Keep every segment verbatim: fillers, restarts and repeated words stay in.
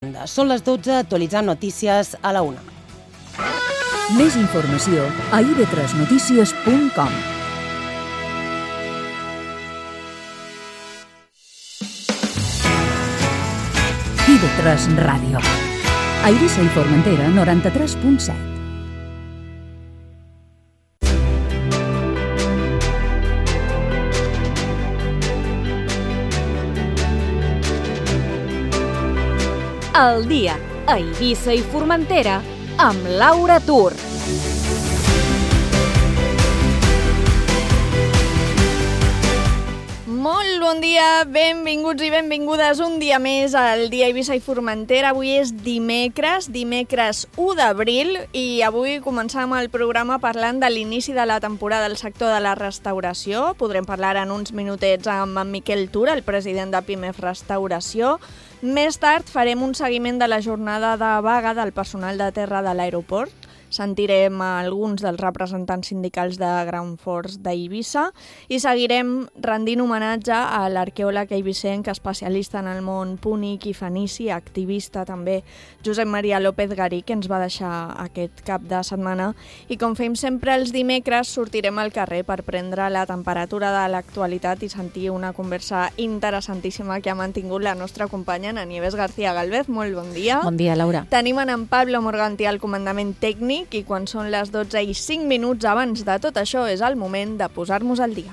Són les dotze, actualitzant notícies a la una. Més informació a i ve tres notícies punt com. i ve tres Ràdio. A Eivissa i Formentera, noranta-tres punt set. El dia a Eivissa i Formentera amb Laura Tur. Molt bon dia, benvinguts i benvingudes un dia més al dia Eivissa i Formentera. Avui és dimecres, dimecres u d'abril, i avui començam el programa parlant de l'inici de la temporada del sector de la restauració. Podrem parlar en uns minutets amb en Miquel Tura, el president de Pimef Restauració. Més tard farem un seguiment de la jornada de vaga del personal de terra de l'aeroport. Sentirem alguns dels representants sindicals de Ground Force d'Eivissa i seguirem rendint homenatge a l'arqueòleg eivissenc especialista en el món púnic i fenici, activista també, Josep Maria López Garí, que ens va deixar aquest cap de setmana. I com fem sempre els dimecres, sortirem al carrer per prendre la temperatura de l'actualitat i sentir una conversa interessantíssima que ha mantingut la nostra companya Ana Nieves García Galvez. Molt bon dia. Bon dia, Laura. Tenim en Pablo Morganti al comandament tècnic, i quan són les dotze i cinc minuts abans de tot això és el moment de posar-nos al dia.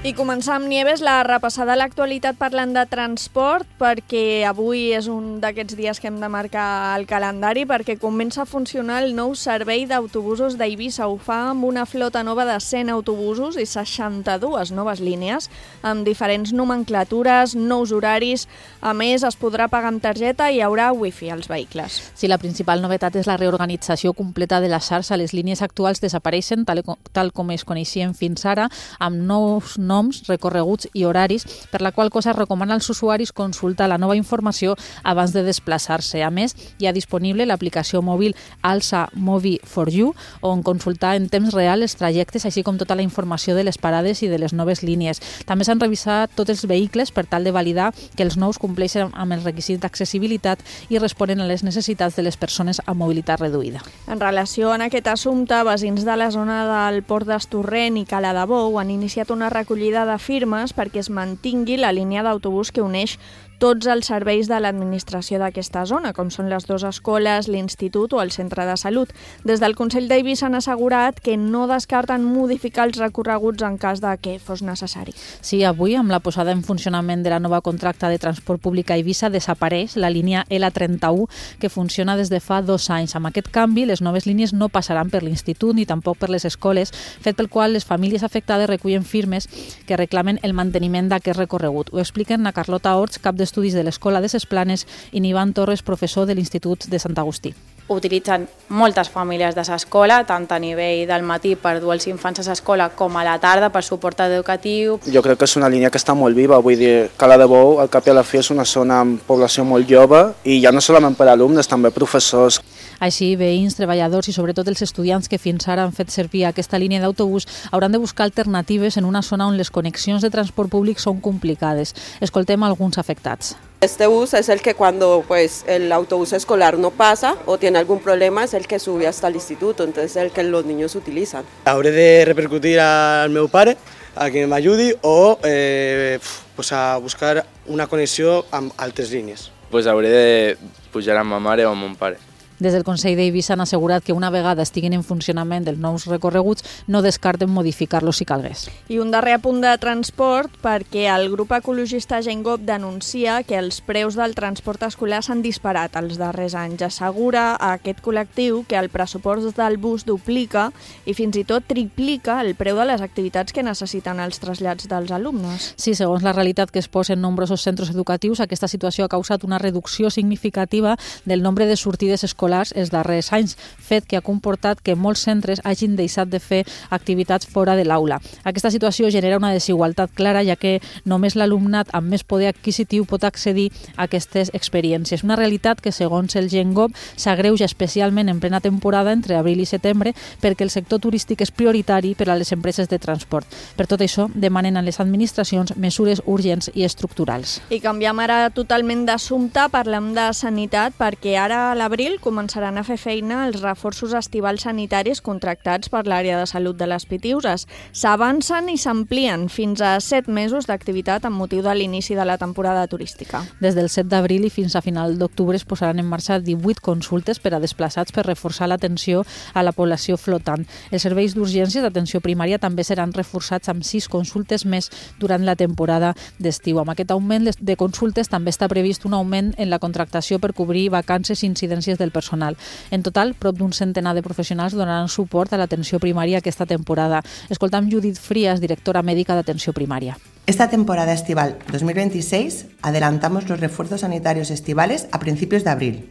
I començar amb Nieves la repassada a l'actualitat parlant de transport, perquè avui és un d'aquests dies que hem de marcar el calendari, perquè comença a funcionar el nou servei d'autobusos d'Eivissa. Ho fa amb una flota nova de cent autobusos i seixanta-dues noves línies, amb diferents nomenclatures, nous horaris. A més, es podrà pagar amb targeta i hi haurà wifi als vehicles. Sí, la principal novetat és la reorganització completa de la xarxa. Les línies actuals desapareixen, tal, tal com es coneixien fins ara, amb nous noms noms, recorreguts i horaris, per la qual cosa es recomana als usuaris consultar la nova informació abans de desplaçar-se. A més, hi ha disponible l'aplicació mòbil Alsa Movi for You, on consultar en temps real els trajectes, així com tota la informació de les parades i de les noves línies. També s'han revisat tots els vehicles per tal de validar que els nous compleixen amb els requisits d'accessibilitat i responen a les necessitats de les persones amb mobilitat reduïda. En relació amb aquest assumpte, veïns de la zona del Port d'Estorrent i Cala de Bou han iniciat una recollida de firmes perquè es mantingui la línia d'autobús que uneix tots els serveis de l'administració d'aquesta zona, com són les dues escoles, l'institut o el centre de salut. Des del Consell d'Eivissa han assegurat que no descarten modificar els recorreguts en cas de que fos necessari. Sí, avui, amb la posada en funcionament de la nova contracta de transport públic a Eivissa, desapareix la línia L trenta-u, que funciona des de fa dos anys. Amb aquest canvi, les noves línies no passaran per l'institut ni tampoc per les escoles, fet pel qual les famílies afectades recullen firmes que reclamen el manteniment d'aquest recorregut. Ho expliquen a Carlota Orts, cap de Estudis de l'Escola de Ses Planes, i Nivan Torres, professor de l'Institut de Sant Agustí. Utilitzen moltes famílies de l'escola, tant a nivell del matí per dur els infants a l'escola com a la tarda per suport educatiu. Jo crec que és una línia que està molt viva, vull dir, Cala de Bou, al cap i a la fi, és una zona amb població molt jove i ja no solament per alumnes, també professors. Així, veïns, treballadors i sobretot els estudiants que fins ara han fet servir aquesta línia d'autobús hauran de buscar alternatives en una zona on les connexions de transport públic són complicades. Escoltem alguns afectats. Este bus es el que cuando pues, el autobús escolar no pasa o tiene algún problema es el que sube hasta el instituto, entonces es el que los niños utilizan. Hauré de repercutir al meu pare a que m'ajudi o eh, pues a buscar una connexió amb altres línies. Pues hauré de pujar amb ma mare o amb mon pare. Des del Consell d'Eivissa han assegurat que una vegada estiguin en funcionament els nous recorreguts no descarten modificar-los si calgués. I un darrer apunt de transport, perquè el grup ecologista Gengop denuncia que els preus del transport escolar s'han disparat els darrers anys. Assegura a aquest col·lectiu que el pressupost del bus duplica i fins i tot triplica el preu de les activitats que necessiten els trasllats dels alumnes. Sí, segons la realitat que es posa en nombrosos centres educatius, aquesta situació ha causat una reducció significativa del nombre de sortides escolars escolars els darrers anys, fet que ha comportat que molts centres hagin deixat de fer activitats fora de l'aula. Aquesta situació genera una desigualtat clara, ja que només l'alumnat amb més poder adquisitiu pot accedir a aquestes experiències. Una realitat que, segons el GenGov, s'agreuja especialment en plena temporada entre abril i setembre perquè el sector turístic és prioritari per a les empreses de transport. Per tot això, demanen a les administracions mesures urgents i estructurals. I canviem ara totalment d'assumpte, parlem de sanitat, perquè ara a l'abril començaran a fer feina els reforços estivals sanitaris contractats per l'àrea de salut de les Pitiüses. S'avancen i s'amplien fins a set mesos d'activitat amb motiu de l'inici de la temporada turística. Des del set d'abril i fins a final d'octubre es posaran en marxa divuit consultes per a desplaçats per reforçar l'atenció a la població flotant. Els serveis d'urgències d'atenció primària també seran reforçats amb sis consultes més durant la temporada d'estiu. Amb aquest augment de consultes també està previst un augment en la contractació per cobrir vacances i incidències del personal. En total, prop d'un centenar de professionals donaran suport a l'atenció primària aquesta temporada. Escoltam Judith Frías, directora médica d'atenció primària. Esta temporada estival dos mil veintiséis adelantamos los refuerzos sanitarios estivales a principios de abril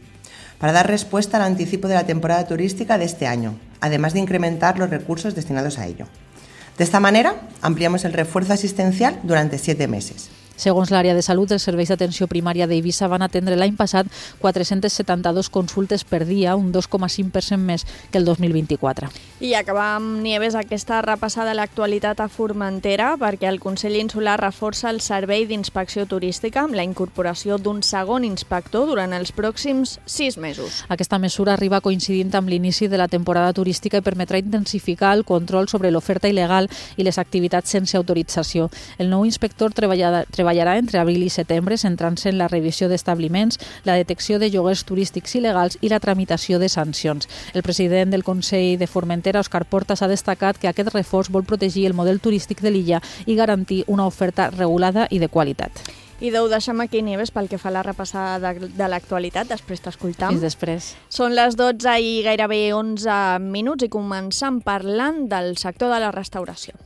para dar respuesta al anticipo de la temporada turística de este año, además de incrementar los recursos destinados a ello. De esta manera, ampliamos el refuerzo asistencial durante siete meses. Segons l'àrea de salut, els serveis d'atenció primària d'Eivissa van atendre l'any passat quatre-centes setanta-dues consultes per dia, un dos coma cinc per cent més que el dos mil vint-i-quatre. I acabar amb Nieves aquesta repassada a l'actualitat a Formentera, perquè el Consell Insular reforça el servei d'inspecció turística amb la incorporació d'un segon inspector durant els pròxims sis mesos. Aquesta mesura arriba coincidint amb l'inici de la temporada turística i permetrà intensificar el control sobre l'oferta il·legal i les activitats sense autorització. El nou inspector treballarà treballarà entre abril i setembre, centrant-se en la revisió d'establiments, la detecció de lloguers turístics il·legals i la tramitació de sancions. El president del Consell de Formentera, Òscar Portas, ha destacat que aquest reforç vol protegir el model turístic de l'illa i garantir una oferta regulada i de qualitat. I ho deixem aquí, Nieves, pel que fa a la repassada de, de l'actualitat. Després t'escoltam. Fins després. Són les dotze i gairebé onze minuts i començam parlant del sector de la restauració.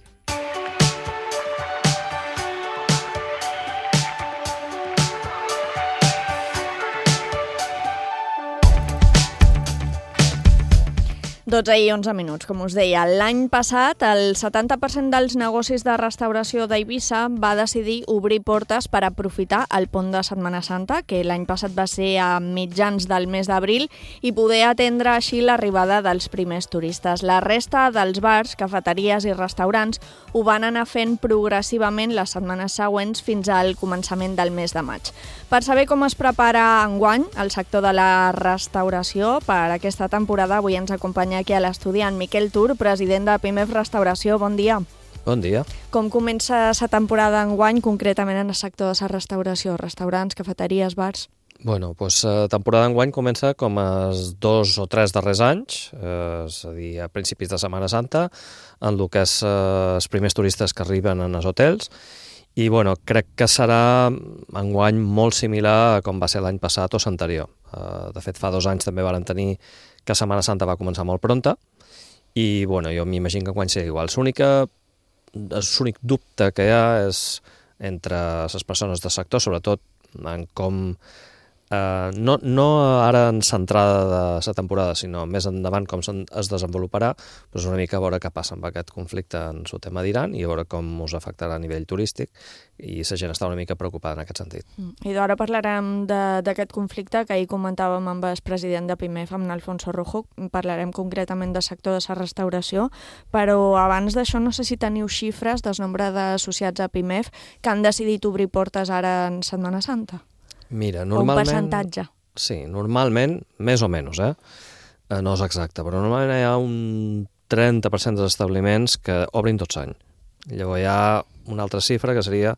dotze i onze minuts, com us deia. L'any passat, el setanta per cent dels negocis de restauració d'Eivissa va decidir obrir portes per aprofitar el pont de Setmana Santa, que l'any passat va ser a mitjans del mes d'abril, i poder atendre així l'arribada dels primers turistes. La resta dels bars, cafeteries i restaurants ho van anar fent progressivament les setmanes següents fins al començament del mes de maig. Per saber com es prepara enguany el sector de la restauració per aquesta temporada, avui ens acompanya aquí a l'estudi en Miquel Tur, president de Pimef Restauració. Bon dia. Bon dia. Com comença la temporada enguany, concretament en el sector de la restauració? Restaurants, cafeteries, bars? Bueno, doncs la temporada d'enguany comença com els dos o tres darrers anys, eh, és a dir, a principis de Setmana Santa, en el que és eh, els primers turistes que arriben en els hotels, i bueno, crec que serà enguany molt similar a com va ser l'any passat o l'anterior. Eh, de fet, fa dos anys també varen tenir que Setmana Santa va començar molt pronta, i bueno, jo m'imagino que enguany serà igual. L'únic dubte que hi ha és entre les persones del sector, sobretot en com, eh, no, no ara en centrada de la temporada, sinó més endavant com es desenvoluparà, doncs una mica a veure què passa amb aquest conflicte en el tema d'Iran i a veure com us afectarà a nivell turístic, i la gent està una mica preocupada en aquest sentit. I d'ara parlarem d'aquest conflicte que ahir comentàvem amb el president de Pimef, amb Alfonso Rojo, parlarem concretament del sector de la restauració, però abans d'això no sé si teniu xifres del nombre d'associats a Pimef que han decidit obrir portes ara en Setmana Santa. Mira, normalment... O un percentatge. Sí, normalment, més o menys, eh? No és exacte, però normalment hi ha un trenta per cent dels establiments que obrin tot l'any. Llavors hi ha una altra xifra que seria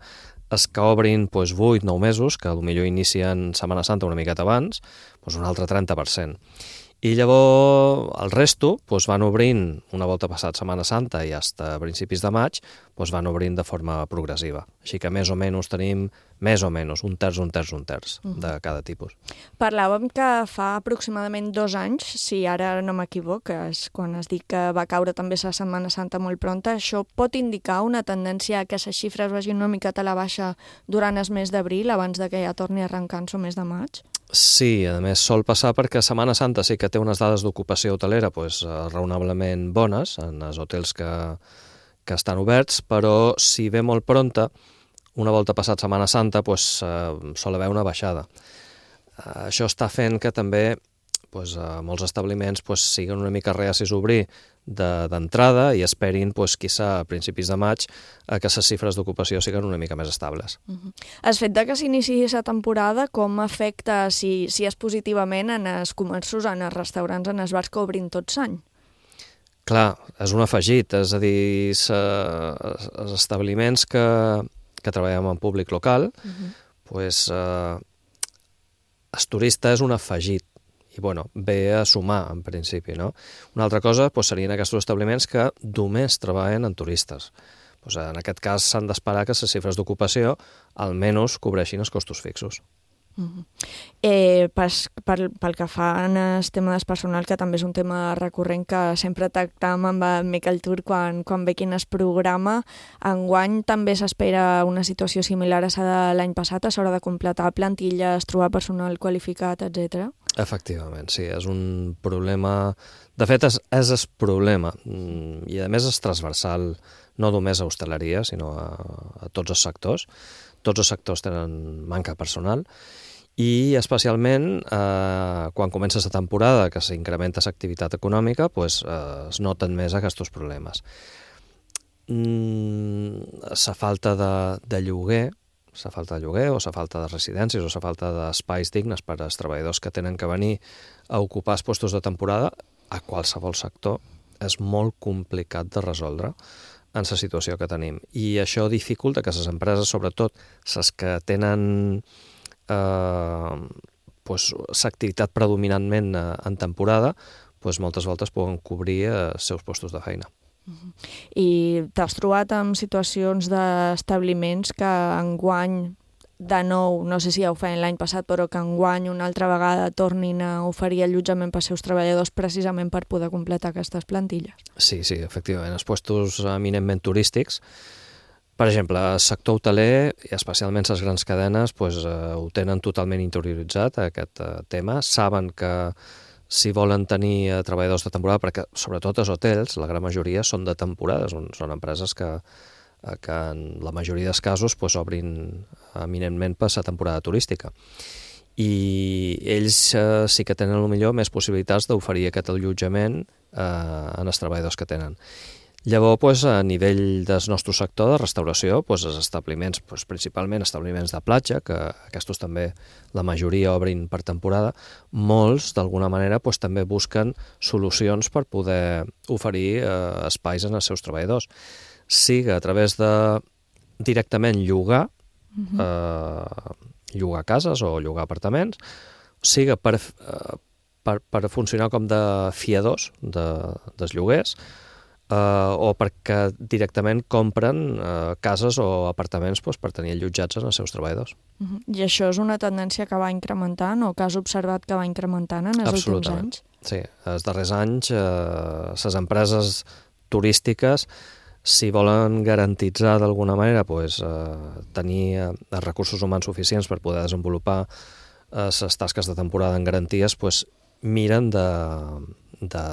els que obrin doncs, vuit o nou mesos, que potser inicien Setmana Santa una miqueta abans, doncs un altre trenta per cent. I llavors el resto doncs, van obrint, una volta passat Setmana Santa i fins a principis de maig, doncs, van obrint de forma progressiva. Així que més o menys tenim més o menys, un terç, un terç, un terç de cada tipus. Parlàvem que fa aproximadament dos anys, si ara no m'equivoc, és quan es diu que va caure també la Setmana Santa molt pronta, això pot indicar una tendència a que les xifres vagin una miqueta a la baixa durant el mes d'abril, abans de que ja torni a arrencar el mes de maig? Sí, a més sol passar perquè Setmana Santa sí que té unes dades d'ocupació hotelera pues, raonablement bones en els hotels que, que estan oberts, però si ve molt pronta, una volta passat Setmana Santa, pues, eh, sol haver una baixada. Eh, això està fent que també pues, eh, molts establiments pues, siguin una mica reacis a obrir d'entrada de, i esperin, pues, quizà a principis de maig, a que les xifres d'ocupació siguin una mica més estables. Uh-huh. El fet de que s'iniciï la temporada, com afecta, si, si és positivament, en els comerços, en els restaurants, en els bars que obrin tot l'any? Clar, és un afegit, és a dir, els establiments que, que treballem en públic local, uh-huh. pues, eh, el turista és un afegit, i bueno, ve a sumar, en principi, no? Una altra cosa pues, serien aquests establiments que només treballen en turistes. Pues, en aquest cas s'han d'esperar que les xifres d'ocupació almenys cobreixin els costos fixos. Uh-huh. eh, pas, pel, pel que fa en el tema del personal, que també és un tema recurrent que sempre tractam amb el Miquel Tur quan, quan ve quin es programa, enguany també s'espera una situació similar a la de l'any passat, a l'hora de completar plantilles, trobar personal qualificat, etcètera. Efectivament, sí, és un problema... De fet, és, és el problema, i a més és transversal no només a hostaleria, sinó a, a tots els sectors. Tots els sectors tenen manca personal, i especialment eh, quan comença la temporada, que s'incrementa l'activitat econòmica, pues, eh, es noten més aquests problemes. Mm, la falta de, de lloguer, la falta de lloguer o la falta de residències o la falta d'espais dignes per als treballadors que tenen que venir a ocupar els puestos de temporada a qualsevol sector és molt complicat de resoldre en la situació que tenim. I això dificulta que les empreses, sobretot les que tenen eh, pues, l'activitat predominantment en temporada, pues, moltes voltes poden cobrir els seus postos de feina. Uh-huh. I t'has trobat amb situacions d'establiments que enguany, de nou, no sé si ja ho feien l'any passat, però que enguany una altra vegada tornin a oferir allotjament per als seus treballadors precisament per poder completar aquestes plantilles? Sí, sí, efectivament. Els puestos eminentment turístics, per exemple, el sector hoteler, i especialment les grans cadenes, pues, eh, ho tenen totalment interioritzat, aquest eh, tema. Saben que si volen tenir eh, treballadors de temporada, perquè sobretot els hotels, la gran majoria són de temporada, són, són empreses que, eh, que en la majoria dels casos pues, obrin eminentment per la temporada turística. I ells eh, sí que tenen millor més possibilitats d'oferir aquest allotjament eh, en els treballadors que tenen. Llavors, pues, a nivell del nostre sector de restauració, pues, els establiments, pues, principalment establiments de platja, que aquests també la majoria obrin per temporada, molts, d'alguna manera, pues, també busquen solucions per poder oferir eh, espais en els seus treballadors. Siga a través de directament llogar, uh-huh. eh, llogar cases o llogar apartaments, siga per, eh, per, per funcionar com de fiadors de, dels lloguers, Uh, o perquè directament compren uh, cases o apartaments pues, per tenir allotjats en els seus treballadors. Uh-huh. I això és una tendència que va incrementant o que has observat que va incrementant en els últims anys? Sí, els darrers anys uh, les empreses turístiques, si volen garantitzar d'alguna manera pues, uh, tenir uh, els recursos humans suficients per poder desenvolupar les uh, tasques de temporada en garanties, pues, miren de... de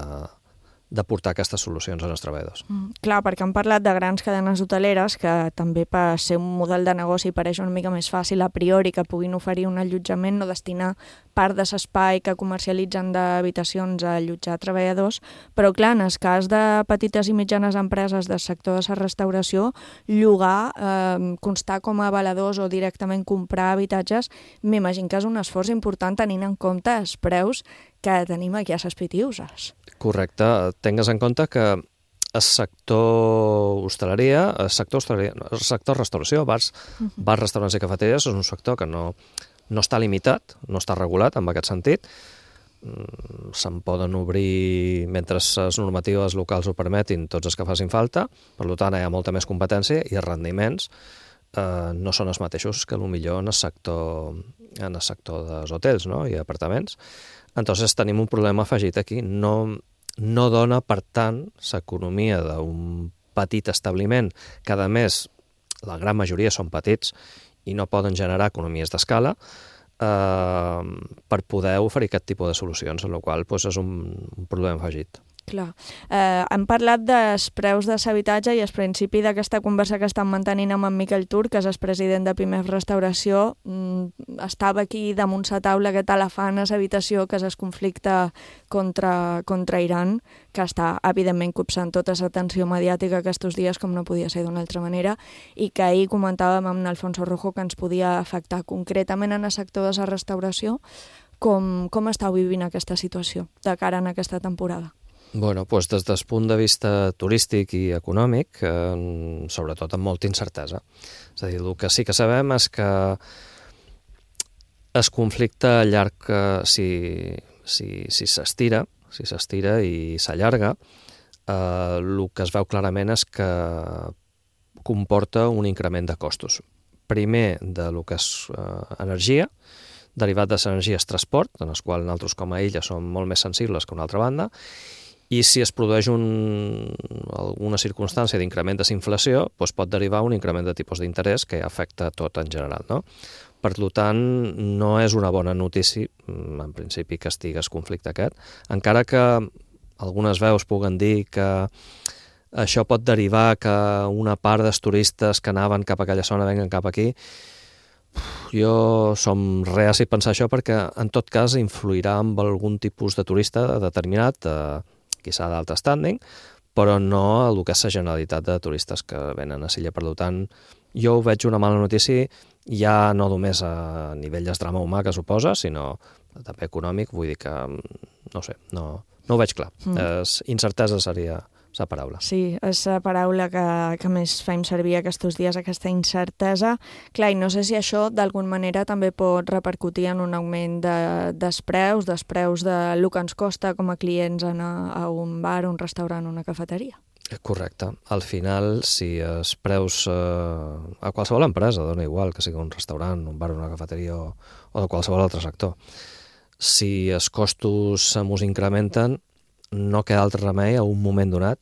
de portar aquestes solucions als treballadors. Mm, clar, perquè han parlat de grans cadenes hoteleres que també per ser un model de negoci pareix una mica més fàcil a priori que puguin oferir un allotjament o destinar part de l'espai que comercialitzen d'habitacions a allotjar treballadors, però clar, en el cas de petites i mitjanes empreses del sector de la restauració, llogar, eh, constar com a avaladors o directament comprar habitatges, m'imagino que és un esforç important tenint en compte els preus que tenim aquí a les Pitiuses. Correcte. Tingues en compte que el sector hostaleria, el sector hostaleria, el sector restauració, bars, uh-huh. bars, restaurants i cafeteries, és un sector que no, no està limitat, no està regulat en aquest sentit. Se'n poden obrir, mentre les normatives locals ho permetin, tots els que facin falta, per tant hi ha molta més competència i els rendiments eh, no són els mateixos que potser en el sector, en el sector dels hotels, no?, i apartaments. Entonces tenim un problema afegit aquí. No, no dona, per tant, l'economia d'un petit establiment, que a més la gran majoria són petits i no poden generar economies d'escala, eh, per poder oferir aquest tipus de solucions, amb la qual cosa, és un, un problema afegit. Clar. Eh, hem parlat dels preus de l'habitatge i al principi d'aquesta conversa que estem mantenint amb en Miquel Turc, que és el president de Pimef Restauració, mm, estava aquí damunt la taula aquest elefant a l'habitació, que és el conflicte contra, contra Iran, que està evidentment copsant tota l'atenció mediàtica aquests dies, com no podia ser d'una altra manera, i que ahir comentàvem amb Alfonso Rojo que ens podia afectar concretament en el sector de la restauració. Com, com estàu vivint aquesta situació de cara en aquesta temporada? Bueno, doncs des del punt de vista turístic i econòmic, eh, sobretot amb molta incertesa. És a dir, el que sí que sabem és que el conflicte llarg, eh, si, si, si s'estira, si s'estira i s'allarga, eh, el que es veu clarament és que comporta un increment de costos. Primer, de lo que és eh, energia, derivat de l'energia és transport, en el qual nosaltres com a illa som molt més sensibles que una altra banda, i si es produeix un, alguna circumstància d'increment de la inflació, doncs pot derivar un increment de tipus d'interès que afecta tot en general, no? Per tant, no és una bona notícia, en principi, que estigui el conflicte aquest, encara que algunes veus puguen dir que això pot derivar que una part dels turistes que anaven cap a aquella zona venguen cap aquí. Jo som reaci a pensar això perquè, en tot cas, influirà amb algun tipus de turista determinat, eh, quizà d'alt standing, però no el que és la generalitat de turistes que venen a l'illa. Per tant, jo ho veig una mala notícia, ja no només a nivell de drama humà que suposa, sinó també econòmic. Vull dir que, no sé, no, no ho veig clar. Mm. Es, incertesa seria la paraula. Sí, és la paraula que, que més fem servir aquests dies, aquesta incertesa. Clar, i no sé si això d'alguna manera també pot repercutir en un augment de, dels preus, dels preus de lo que ens costa com a clients anar a un bar, un restaurant, una cafeteria. Correcte. Al final, si els preus eh, a qualsevol empresa, dona igual que sigui un restaurant, un bar, una cafeteria o, o de qualsevol altre sector, si els costos se mos incrementen, no queda altre remei a un moment donat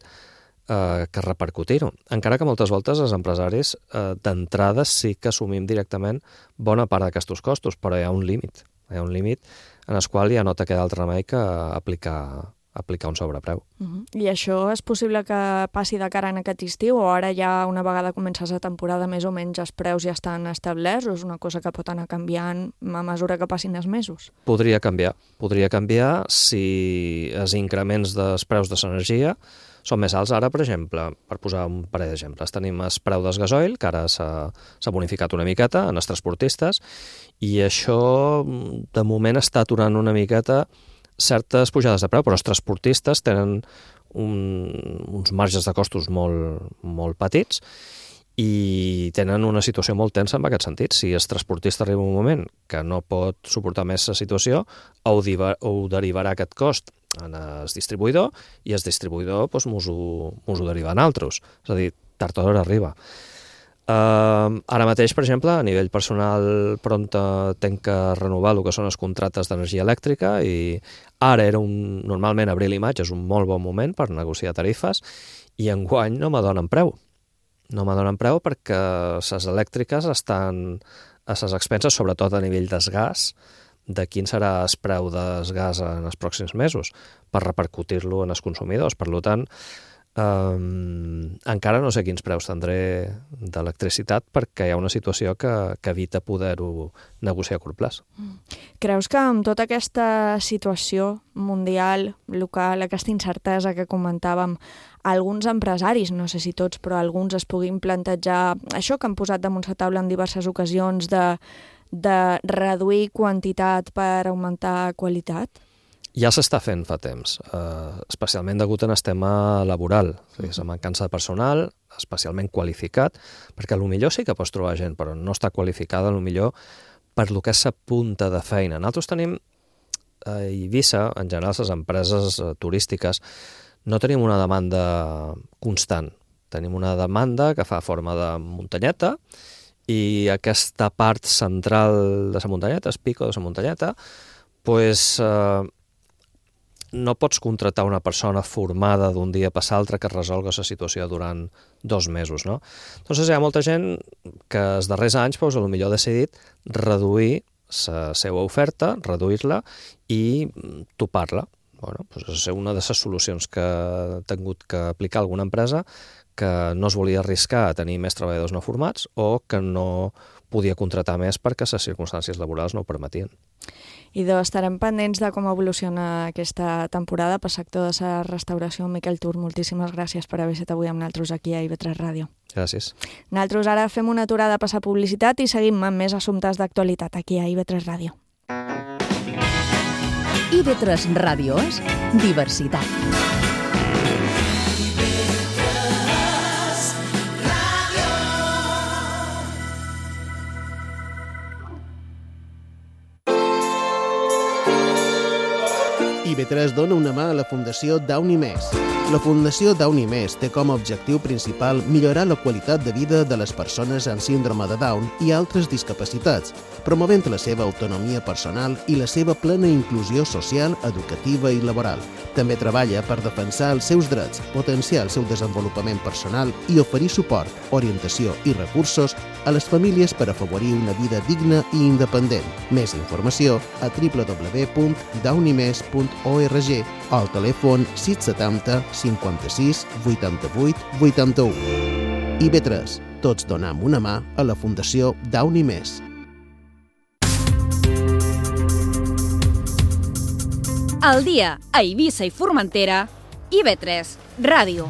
eh, que repercutir-ho. Encara que moltes voltes els empresaris eh, d'entrada sí que assumim directament bona part d'aquests costos, però hi ha un límit. Hi ha un límit en el qual ja no te queda altre remei que aplicar, aplicar un sobrepreu. Uh-huh. I això és possible que passi de cara en aquest estiu, o ara ja una vegada comença la temporada més o menys els preus ja estan establerts, o és una cosa que pot anar canviant a mesura que passin els mesos? Podria canviar. Podria canviar si els increments dels preus de l'energia són més alts. Ara, per exemple, per posar un parell d'exemples, tenim el preu del gasoil, que ara s'ha bonificat una miqueta en els transportistes, i això de moment està aturant una miqueta certes pujades de preu, però els transportistes tenen un, uns marges de costos molt, molt petits i tenen una situació molt tensa en aquest sentit. Si el transportista arriba un moment que no pot suportar més la situació, ho, diva, ho derivarà aquest cost en el distribuïdor i el distribuïdor doncs, mos ho, mos ho deriva en altres. És a dir, tard o d'hora arriba. Uh, ara mateix, per exemple, a nivell personal, Pronto tenc que renovar el que són els contractes d'energia elèctrica i ara era un, normalment abril i maig és un molt bon moment per negociar tarifes i enguany no m'adonen preu. No m'adonen preu perquè les elèctriques estan a les expenses, sobretot a nivell del gas, de quin serà el preu del gas en els pròxims mesos per repercutir-lo en els consumidors. Per tant, Um, encara no sé quins preus tindré d'electricitat perquè hi ha una situació que, que evita poder-ho negociar a curt plaç. Creus que amb tota aquesta situació mundial, local, aquesta incertesa que comentàvem, alguns empresaris, no sé si tots, però alguns es puguin plantejar això que han posat damunt la taula en diverses ocasions de, de reduir quantitat per augmentar qualitat? Ja s'està fent fa temps, eh, especialment degut en el tema laboral, és a dir, la mancança de personal, especialment qualificat, perquè potser sí que pots trobar gent, però no està qualificada potser per lo que és la punta de feina. Nosaltres tenim a Eivissa, en general, les empreses turístiques, no tenim una demanda constant. Tenim una demanda que fa forma de muntanyeta i aquesta part central de la muntanyeta, el pico de la muntanyeta, pues, eh, no pots contractar una persona formada d'un dia per l'altre que resolga la situació durant dos mesos, no? Entonces hi ha molta gent que els darrers anys pues, potser ha decidit reduir la seva oferta, reduir-la i topar-la. Bueno, pues és una de les solucions que ha tingut que aplicar alguna empresa que no es volia arriscar a tenir més treballadors no formats o que no podia contratar més perquè les circumstàncies laborals no ho permetien. I doncs estarem pendents de com evoluciona aquesta temporada pel sector de la restauració. Miquel Tur, moltíssimes gràcies per haver estat avui amb nosaltres aquí a I V tres Ràdio. Gràcies. Nosaltres ara fem una aturada per la publicitat i seguim amb més assumptes d'actualitat aquí a I V tres Ràdio. I V tres Ràdio és diversitat. I V tres dona una mà a la Fundació Downy Més. La Fundació Downy Més té com a objectiu principal millorar la qualitat de vida de les persones amb síndrome de Down i altres discapacitats, promovent la seva autonomia personal i la seva plena inclusió social, educativa i laboral. També treballa per defensar els seus drets, potenciar el seu desenvolupament personal i oferir suport, orientació i recursos a les famílies per afavorir una vida digna i independent. Més informació a w w w punt downy mes punt org o al telèfon sis setanta cinquanta-sis vuitanta-vuit vuitanta-u. I V tres, tots donam una mà a la Fundació Downy Més. Al dia a Eivissa i Formentera, I V tres Ràdio.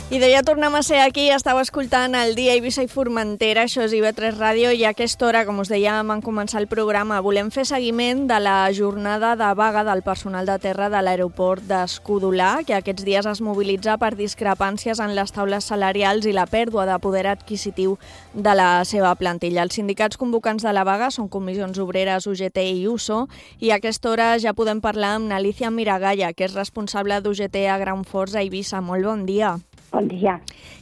I ja tornem a ser aquí, estàu escoltant el dia Eivissa i Formentera, això és I V tres Ràdio, i a aquesta hora, com us dèiem en començar el programa, volem fer seguiment de la jornada de vaga del personal de terra de l'aeroport d'Escudolà, que aquests dies es mobilitza per discrepàncies en les taules salarials i la pèrdua de poder adquisitiu de la seva plantilla. Els sindicats convocants de la vaga són Comissions Obreres, U G T i U S O, i a aquesta hora ja podem parlar amb Alicia Miragaya, que és responsable d'U G T a Gran Forts a Eivissa. Molt bon dia. Bon dia.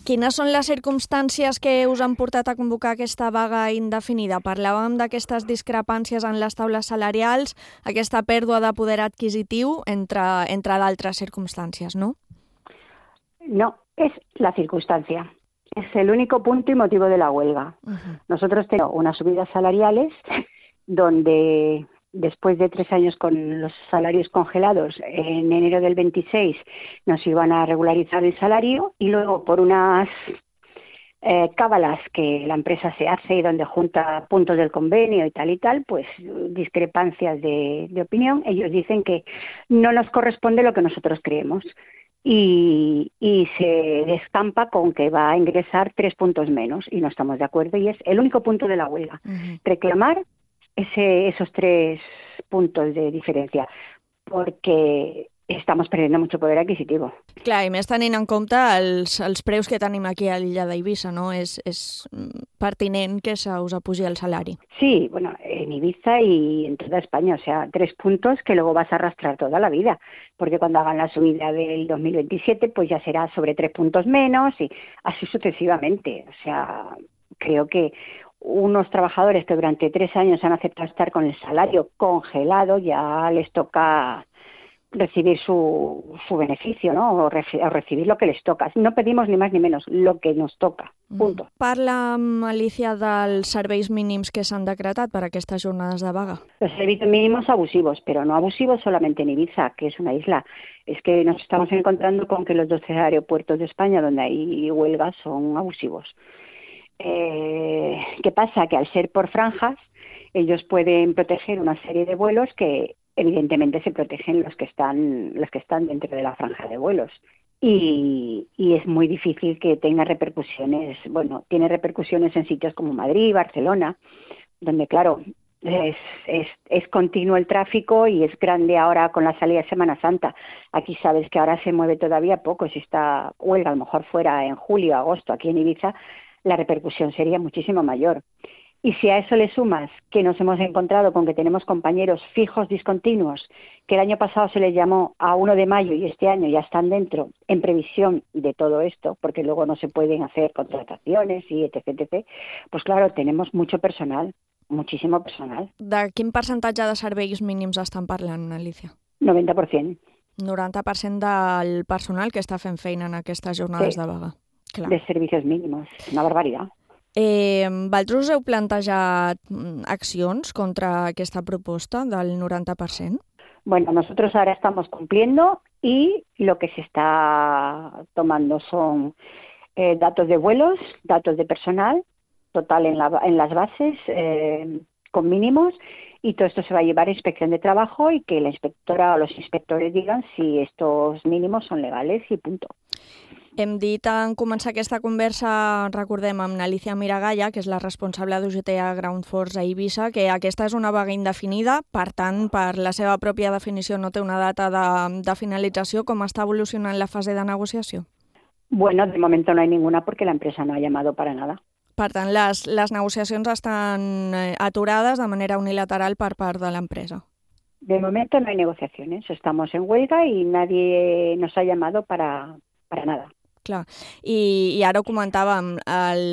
Quines són les circumstàncies que us han portat a convocar aquesta vaga indefinida? Parlàvem d'aquestes discrepàncies en les taules salarials, aquesta pèrdua de poder adquisitiu, entre, entre d'altres circunstàncies, ¿no? No, es la circunstancia. Es el único punto y motivo de la huelga. Uh-huh. Nosotros tenemos unas subidas salariales donde después de tres años con los salarios congelados, en enero del veintiséis nos iban a regularizar el salario y luego por unas eh, cábalas que la empresa se hace y donde junta puntos del convenio y tal y tal, pues discrepancias de, de opinión, ellos dicen que no nos corresponde lo que nosotros creemos. Y, y se descampa con que va a ingresar tres puntos menos y no estamos de acuerdo y es el único punto de la huelga. Uh-huh. Reclamar Ese, esos tres puntos de diferència, perquè estamos perdiendo mucho poder adquisitivo. Clar, i més tenint en compte els, els preus que tenim aquí a l'illa d'Eivissa, ¿no? És, és pertinent que se us apugi el salari. Sí, bueno, en Ibiza y en toda España, o sea, tres puntos que luego vas a arrastrar toda la vida, porque cuando hagan la subida del dos mil veintisiete, pues ya será sobre tres puntos menos y así sucesivamente. O sea, creo que unos trabajadores que durante tres años han aceptado estar con el salario congelado, ya les toca recibir su, su beneficio, ¿no? O, reci- o recibir lo que les toca. No pedimos ni más ni menos, lo que nos toca, punto. Mm. Parla, Alicia, dels serveis mínims que s'han decretat per a aquestes jornades de vaga. Los servicios mínimos abusivos, pero no abusivos solamente en Ibiza, que es una isla. Es que nos estamos encontrando con que los doce aeropuertos de España donde hay huelgas son abusivos. Eh, ¿Qué pasa? Que al ser por franjas, ellos pueden proteger una serie de vuelos que evidentemente se protegen los que están, los que están dentro de la franja de vuelos. Y, y es muy difícil que tenga repercusiones, bueno, tiene repercusiones en sitios como Madrid, Barcelona, donde claro, Es, es, es continuo el tráfico y es grande ahora con la salida de Semana Santa. Aquí sabes que ahora se mueve todavía poco. Si esta huelga a lo mejor fuera en julio, agosto, aquí en Ibiza, la repercusión sería muchísimo mayor. Y si a eso le sumas que nos hemos encontrado con que tenemos compañeros fijos discontinuos, que el año pasado se les llamó a uno de mayo y este año ya están dentro en previsión de todo esto, porque luego no se pueden hacer contrataciones y etc, etcétera, pues claro, tenemos mucho personal. Moltíssim personal. De quin percentatge de serveis mínims estan parlant, Alicia? noventa per cent. noranta per cent del personal que està fent feina en aquestes jornades sí. de vaga. Clar. De servicios mínimos, una barbaritat. Eh, vosaltres heu plantejat accions contra aquesta proposta del noranta per cent? Bueno, nosotros ahora estamos cumpliendo y lo que se está tomando son eh, datos de vuelos, datos de personal, total en, la, en las bases eh, con mínimos, y todo esto se va a llevar a inspección de trabajo y que la inspectora o los inspectores digan si estos mínimos son legales y punto. Hem dit en començar aquesta conversa, recordem, amb Alicia Miragaya, que és la responsable d'U G T A Ground Force a Eivissa, que aquesta és una vaga indefinida, per tant, per la seva pròpia definició no té una data de, de finalització. Com està evolucionant la fase de negociació? Bueno, de momento no hay ninguna porque la empresa no ha llamado para nada. Per tant, les, les negociacions estan aturades de manera unilateral per part de l'empresa. De momento no hay negociaciones. Estamos en huelga y nadie nos ha llamado para, para nada. Clar. I, I ara ho comentàvem,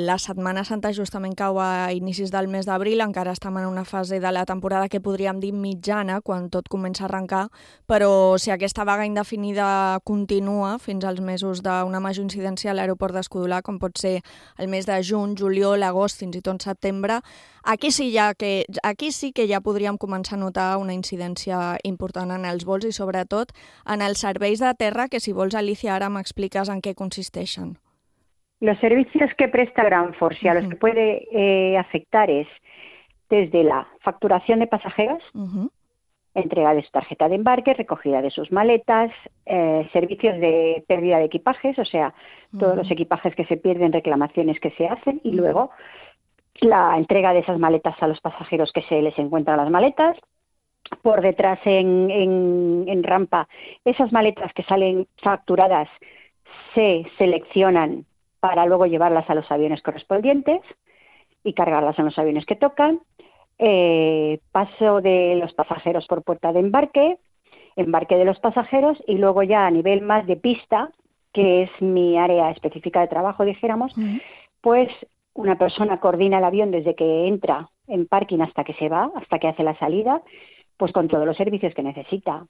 la Setmana Santa justament cau a inicis del mes d'abril, encara estem en una fase de la temporada que podríem dir mitjana, quan tot comença a arrencar, però si aquesta vaga indefinida continua fins als mesos d'una major incidència a l'aeroport d'Escudolà, com pot ser el mes de juny, juliol, agost, fins i tot setembre, aquí sí, ja que, aquí sí que ja podríem començar a notar una incidència important en els vols i sobretot en els serveis de terra, que si vols, Alicia, ara m'expliques en què consisteixen. Los servicios que presta Ground Force y a los que puede eh, afectar es desde la facturación de pasajeros, uh-huh. entrega de su tarjeta de embarque, recogida de sus maletas, eh, servicios de pérdida de equipajes, o sea, uh-huh. todos los equipajes que se pierden, reclamaciones que se hacen, y luego la entrega de esas maletas a los pasajeros que se les encuentran las maletas. Por detrás en, en, en rampa, esas maletas que salen facturadas se seleccionan para luego llevarlas a los aviones correspondientes y cargarlas en los aviones que tocan. Eh, paso de los pasajeros por puerta de embarque, embarque de los pasajeros, y luego ya a nivel más de pista, que es mi área específica de trabajo, dijéramos, uh-huh. pues una persona coordina el avión desde que entra en parking hasta que se va, hasta que hace la salida, pues con todos los servicios que necesita: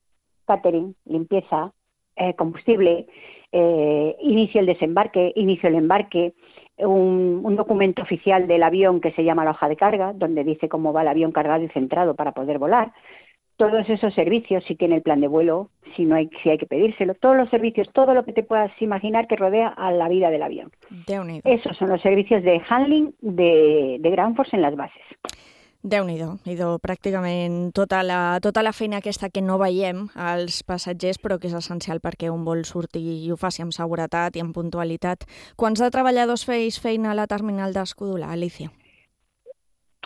catering, limpieza, eh, combustible, eh, inicio el desembarque, inicio el embarque, un, un documento oficial del avión que se llama la hoja de carga, donde dice cómo va el avión cargado y centrado para poder volar. Todos esos servicios, si tiene el plan de vuelo, si no hay, si hay que pedírselo, todos los servicios, todo lo que te puedas imaginar que rodea a la vida del avión. Esos son los servicios de handling de, de Ground Force en las bases. Déu-n'hi-do, idò, pràcticament tota la, tota la feina aquesta que no veiem als passatgers, però que és essencial perquè un vol sortir i ho faci amb seguretat i amb puntualitat. Quants de treballadors feis feina a la terminal d'Escudolà, Alicia?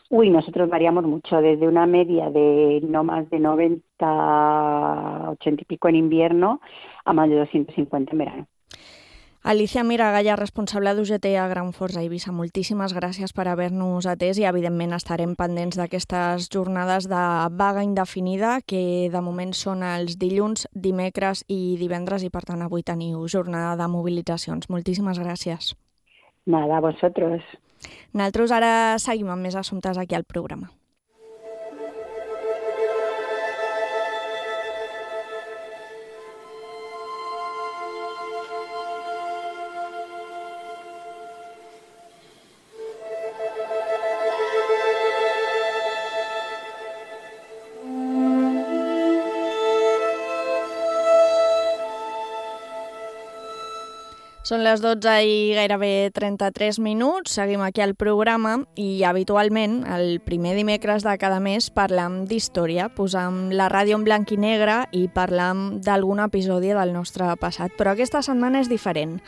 Uy, nosotros variamos mucho, desde una media de no más de noventa, ochenta y pico en invierno a más de doscientos cincuenta en verano. Alicia Miragaya, responsable d'U G T A Ground Force a Eivissa, moltíssimes gràcies per haver-nos atès i, evidentment, estarem pendents d'aquestes jornades de vaga indefinida, que de moment són els dilluns, dimecres i divendres, i per tant avui teniu jornada de mobilitzacions. Moltíssimes gràcies. Nada, a vosotros. Nosaltres ara seguim amb més assumptes aquí al programa. Són les dotze i gairebé trenta-tres minuts, seguim aquí al programa i habitualment el primer dimecres de cada mes parlam d'història, posam la ràdio en blanc i negre i parlam d'algun episodi del nostre passat, però aquesta setmana és diferent.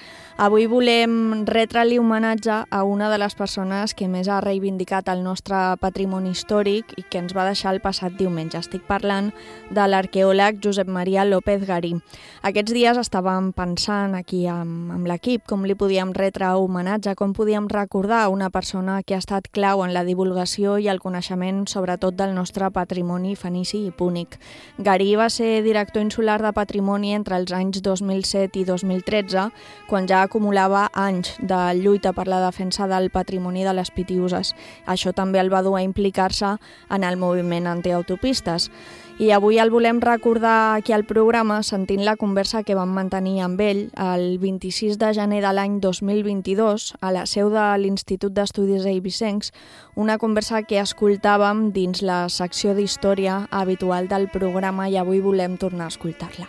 Avui volem retre-li homenatge a una de les persones que més ha reivindicat el nostre patrimoni històric i que ens va deixar el passat diumenge. Estic parlant de l'arqueòleg Josep Maria López Garí. Aquests dies estàvem pensant aquí amb, amb l'equip com li podíem retre homenatge, com podíem recordar una persona que ha estat clau en la divulgació i el coneixement sobretot del nostre patrimoni fenici i púnic. Garí va ser director insular de patrimoni entre els anys dos mil set i dos mil tretze, quan ja acumulava anys de lluita per la defensa del patrimoni de les Pitiüses. Això també el va dur a implicar-se en el moviment antiautopistes. I avui el volem recordar aquí al programa sentint la conversa que vam mantenir amb ell el vint-i-sis de gener de l'any dos mil vint-i-dos a la seu de l'Institut d'Estudis Eivissencs, una conversa que escoltàvem dins la secció d'història habitual del programa i avui volem tornar a escoltar-la.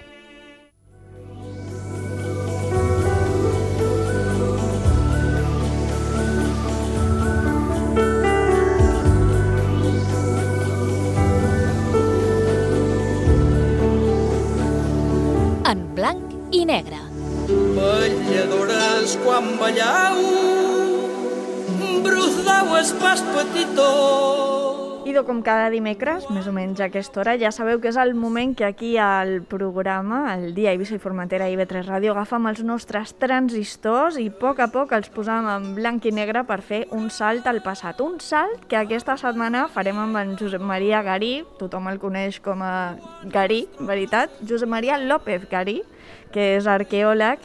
En blanc i negre. Balladores quan ballau, brusdau es pas petitó. Idò, com cada dimecres, més o menys a aquesta hora, ja sabeu que és el moment que aquí al programa, el dia Eivissa i Formentera i I V tres Ràdio, agafam els nostres transistors i a poc a poc els posam en blanc i negre per fer un salt al passat. Un salt que aquesta setmana farem amb en Josep Maria Garí, tothom el coneix com a Garí, veritat, Josep Maria López Garí, que és arqueòleg,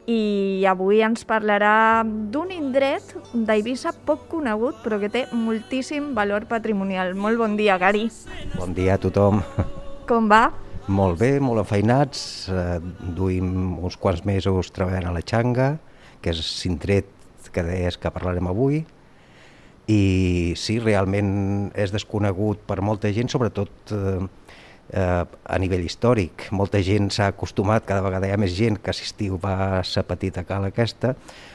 i avui ens parlarà d'un indret d'Eivissa poc conegut però que té moltíssim valor patrimonial. Molt bon dia, Garí. Bon dia a tothom. Com va? Molt bé, molt enfeinats. Eh, duim uns quants mesos treballant a la Xanga, que és l'indret que deies que parlarem avui, i sí, realment és desconegut per molta gent, sobretot eh, Uh, a nivell històric. Molta gent s'ha acostumat, cada vegada hi ha més gent que assistiu va a la petita cala aquesta,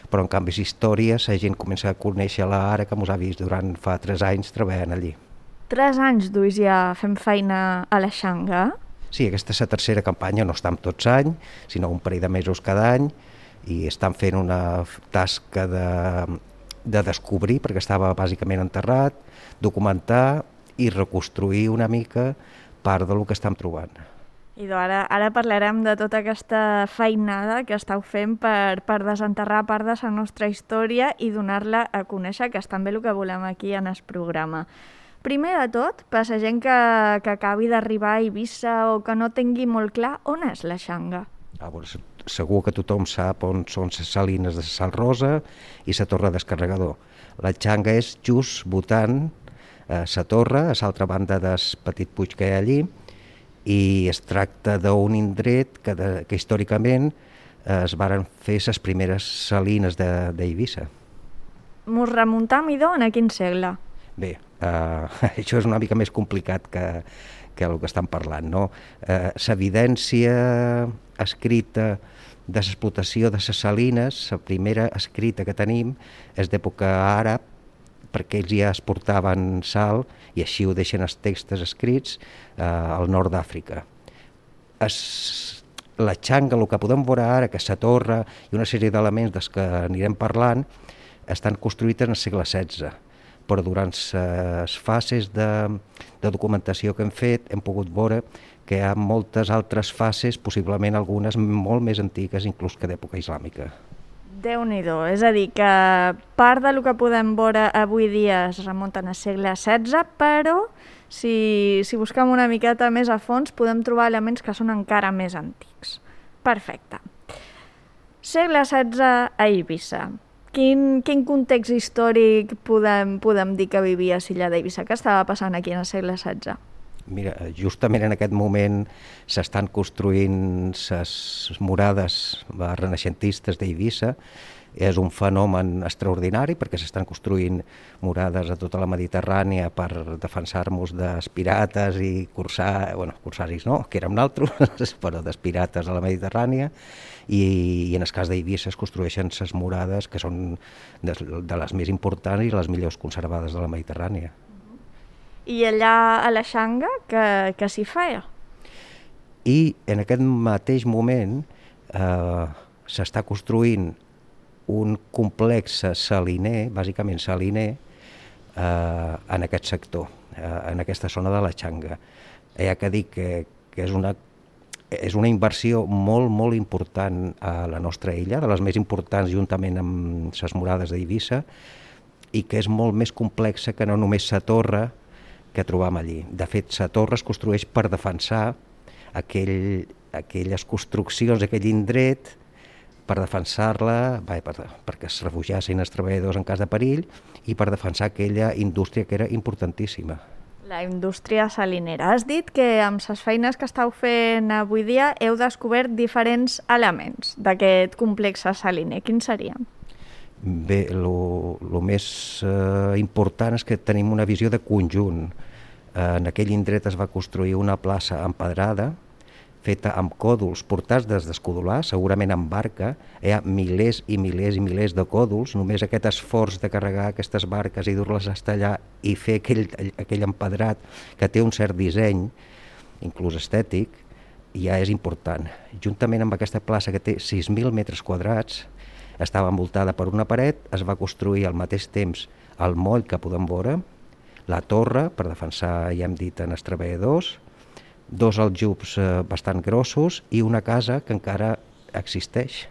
però en canvi històries la gent comença a conèixer-la ara que mos ha vist durant fa tres anys treballant allí. Tres anys duis ja fem feina a la Xanga? Sí, aquesta és la tercera campanya, no estem tots any, sinó un parell de mesos cada any, i estan fent una tasca de, de descobrir, perquè estava bàsicament enterrat, documentar i reconstruir una mica part del que estem trobant. I ara, ara parlarem de tota aquesta feinada que estàu fent per, per desenterrar part de la nostra història i donar-la a conèixer, que és també el que volem aquí en el programa. Primer de tot, per la gent que, que acabi d'arribar a Eivissa o que no tingui molt clar on és la Xanga. Ah, doncs, segur que tothom sap on són les salines de Sal Rosa i la torre descarregador. La Xanga és just votant a la torre, a l'altra banda del petit puig que hi ha allí, i es tracta d'un indret que, de, que històricament eh, es varen fer les primeres salines d'Eivissa. Mos remuntam, idò, en quin segle? Bé, eh, això és una mica més complicat que, que el que estan parlant, no? Eh, l'evidència escrita de l'explotació de les salines, la primera escrita que tenim és d'època àrab, perquè ells ja exportaven sal i així ho deixen els textos escrits eh, al nord d'Àfrica. La Xanga, el que podem veure ara, que és la torre i una sèrie d'elements dels que anirem parlant, estan construïts en el segle setze, però durant les fases de, de documentació que hem fet hem pogut veure que hi ha moltes altres fases, possiblement algunes molt més antigues, inclús que d'època islàmica. Déu-n'hi-do, és a dir, que part del que podem veure avui dia es remunten al segle setze, però si, si busquem una miqueta més a fons podem trobar elements que són encara més antics. Perfecte. Segle setze a Eivissa. Quin, quin context històric podem, podem dir que vivia l'illa d'Eivissa? Què estava passant aquí en el segle setze? Mira, justament en aquest moment s'estan construint les murades renaixentistes d'Eivissa. És un fenomen extraordinari perquè s'estan construint murades a tota la Mediterrània per defensar-nos dels pirates i cursar, bueno, cursaris no, que érem nosaltres, però dels pirates a la Mediterrània, i, i en el cas d'Eivissa es construeixen les murades que són de, de les més importants i les millors conservades de la Mediterrània. I allà a la Xanga, què, què s'hi feia? I en aquest mateix moment eh, s'està construint un complex saliner, bàsicament saliner, eh, en aquest sector, eh, en aquesta zona de la Xanga. Hi ha que dir que, que és, una, és una inversió molt, molt important a la nostra illa, de les més importants juntament amb les murades d'Eivissa, i que és molt més complexa que no només la torre que trobam allí. De fet, la torre es construeix per defensar aquell, aquelles construccions, aquell indret, per defensar-la, per, perquè es refugiassin els treballadors en cas de perill i per defensar aquella indústria que era importantíssima. La indústria salinera. Has dit que amb les feines que estàu fent avui dia heu descobert diferents elements d'aquest complex saliner. Quins serien? Bé, el més eh, important és que tenim una visió de conjunt. Eh, en aquell indret es va construir una plaça empedrada, feta amb còdols portats des d'Escodolar, segurament amb barca. Hi ha milers i milers i milers de còdols. Només aquest esforç de carregar aquestes barques i dur-les a estallar i fer aquell, aquell empedrat que té un cert disseny, inclús estètic, ja és important. Juntament amb aquesta plaça que té sis mil metres quadrats, estava envoltada per una paret, es va construir al mateix temps el moll que podem veure, la torre per defensar, ja hem dit, en els treballadors, dos aljubs eh, bastant grossos i una casa que encara existeix.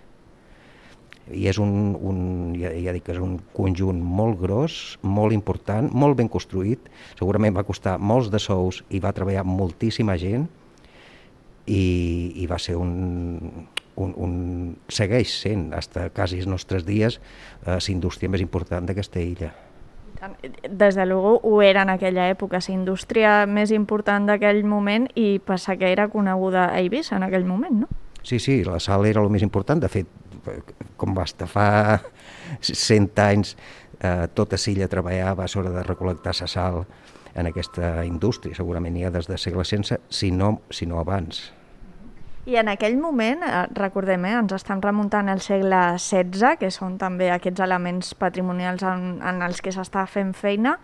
I és un, un, ja, ja dic que és un conjunt molt gros, molt important, molt ben construït. Segurament va costar molts de sous i va treballar moltíssima gent i, i va ser un, un, un... segueix sent, fins quasi els nostres dies, eh, la indústria més important d'aquesta illa. Des de luego ho era en aquella època, la indústria més important d'aquell moment i passa que era coneguda a Eivissa en aquell moment, no? Sí, sí, la sal era el més important. De fet, com va estar fa cent anys, eh, tota l'illa treballava a l'hora de recol·lectar la sal en aquesta indústria. Segurament ja des del segle setze, si no, si no abans. I en aquell moment, recordem, eh, ens estem remuntant al segle setze, que són també aquests elements patrimonials en, en els que s'està fent feina.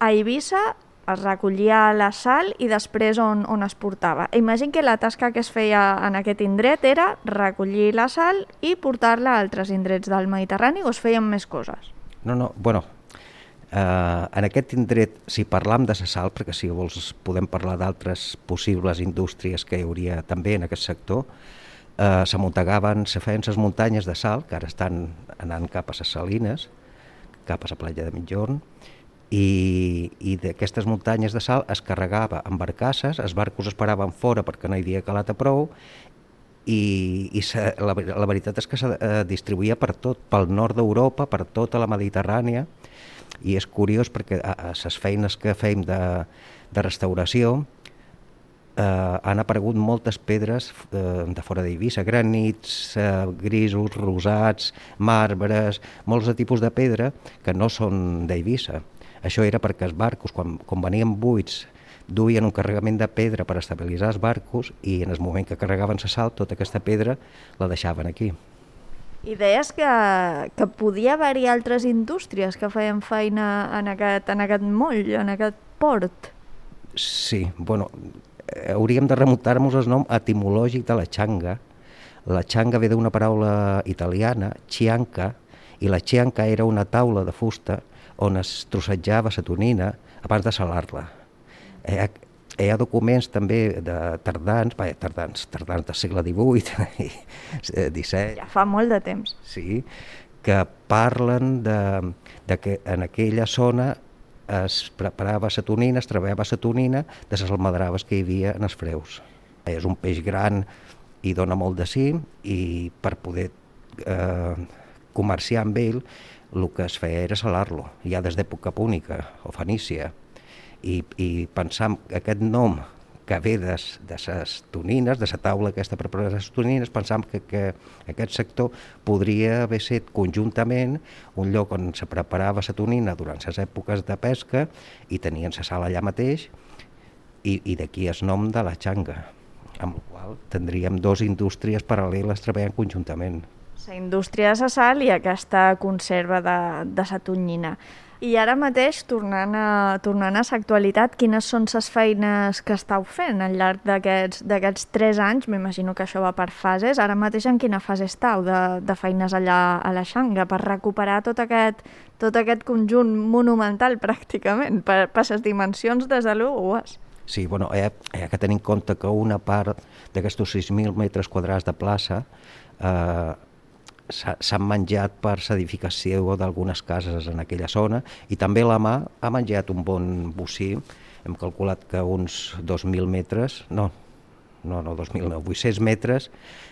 A Eivissa es recollia la sal i després on, on es portava. Imagino que la tasca que es feia en aquest indret era recollir la sal i portar-la a altres indrets del Mediterrani, o es feien més coses? No, no, bueno, Uh, en aquest indret, si parlam de la sal, perquè si vols podem parlar d'altres possibles indústries que hi hauria també en aquest sector, uh, s'amuntegaven, se feien les muntanyes de sal, que ara estan anant cap a les salines, cap a la platja de Migjorn, i, i d'aquestes muntanyes de sal es carregava amb barcasses, els barcos es paraven fora perquè no hi havia calat a prou, i, i se, la, la veritat és que se uh, distribuïa per tot, pel nord d'Europa, per tota la Mediterrània. I és curiós perquè a les feines que fem de, de restauració eh, han aparegut moltes pedres eh, de fora d'Eivissa, granits, eh, grisos, rosats, marbres, molts de tipus de pedra que no són d'Eivissa. Això era perquè els barcos, quan, quan venien buits, duien un carregament de pedra per estabilitzar els barcos i en el moment que carregaven la sal, tota aquesta pedra la deixaven aquí. I deies que, que podia haver-hi altres indústries que feien feina en aquest, en aquest moll, en aquest port. Sí, bueno, hauríem de remuntar-nos el nom etimològic de la xanga. La xanga ve d'una paraula italiana, chianca, i la chianca era una taula de fusta on es trossejava la tonina abans de salar-la. Hi ha, hi ha documents també de tardans, bé, tardans, tardans del segle divuit i disset. Ja fa molt de temps. Sí, que parlen de, de que en aquella zona es preparava la tonina, es treballava la tonina de les almadraves que hi havia en els freus. És un peix gran i dona molt de sí, i per poder eh, comerciar amb ell el que es feia era salar-lo, ja des d'època púnica o fenícia. I, i pensam que aquest nom que ve de les tonines, de la taula aquesta per preparar les tonines, pensam que, que aquest sector podria haver set conjuntament un lloc on se preparava la tonina durant les èpoques de pesca i tenien la sala allà mateix, i, i d'aquí el nom de la xanga, amb la qual tindríem dues indústries paral·leles treballant conjuntament. La indústria de la sal i aquesta conserva de, de la tonyina. I ara mateix, tornant a, tornant a l'actualitat, quines són les feines que estàu fent al llarg d'aquests tres anys? M'imagino que això va per fases. Ara mateix en quina fase estàu de, de feines allà a la Xanga per recuperar tot aquest, tot aquest conjunt monumental pràcticament, per, per les dimensions des de l'u ho és? Sí, bueno, hi ha, hi ha que tenir en compte que una part d'aquests sis mil metres quadrats de plaça eh, s'han menjat per l'edificació d'algunes cases en aquella zona i també la mà ha menjat un bon bocí. Hem calculat que uns dos mil metres, no, no, no dos mil, no, vuit-cents metres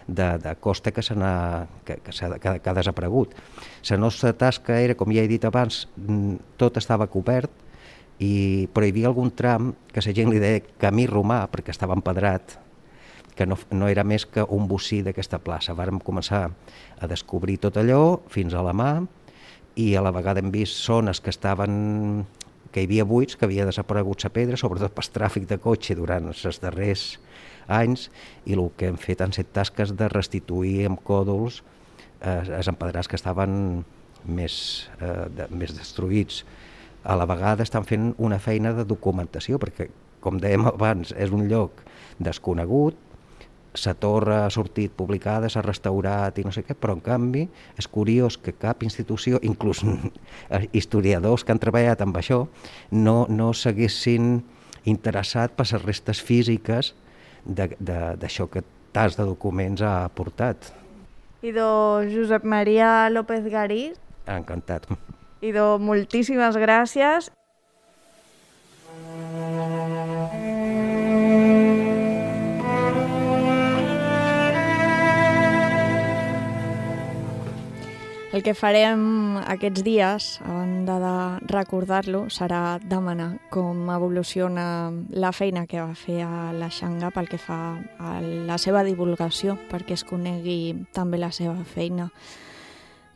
de, de costa que, que, que, que, que ha desaparegut. La nostra tasca era, com ja he dit abans, tot estava cobert, i, però hi havia algun tram que la gent li deia camí romà perquè estava empedrat, que no, no era més que un bocí d'aquesta plaça. Vàrem començar a descobrir tot allò fins a la mà i a la vegada hem vist zones que estaven, que hi havia buits, que havia desaparegut la pedra, sobretot pel tràfic de cotxe durant els darrers anys, i el que hem fet han set tasques de restituir amb còdols eh, els empedrats que estaven més, eh, de, més destruïts. A la vegada estan fent una feina de documentació, perquè, com dèiem abans, és un lloc desconegut, la torre ha sortit publicada, s'ha restaurat i no sé què, però en canvi és curiós que cap institució, inclús historiadors que han treballat amb això, no, no s'haguessin interessat per les restes físiques d'això que tants de documents ha aportat. Idò Josep Maria López Garí. Encantat. Idò, moltíssimes gràcies. El que farem aquests dies, a banda de recordar-lo, serà demanar com evoluciona la feina que va fer a la Xanga pel que fa a la seva divulgació, perquè es conegui també la seva feina.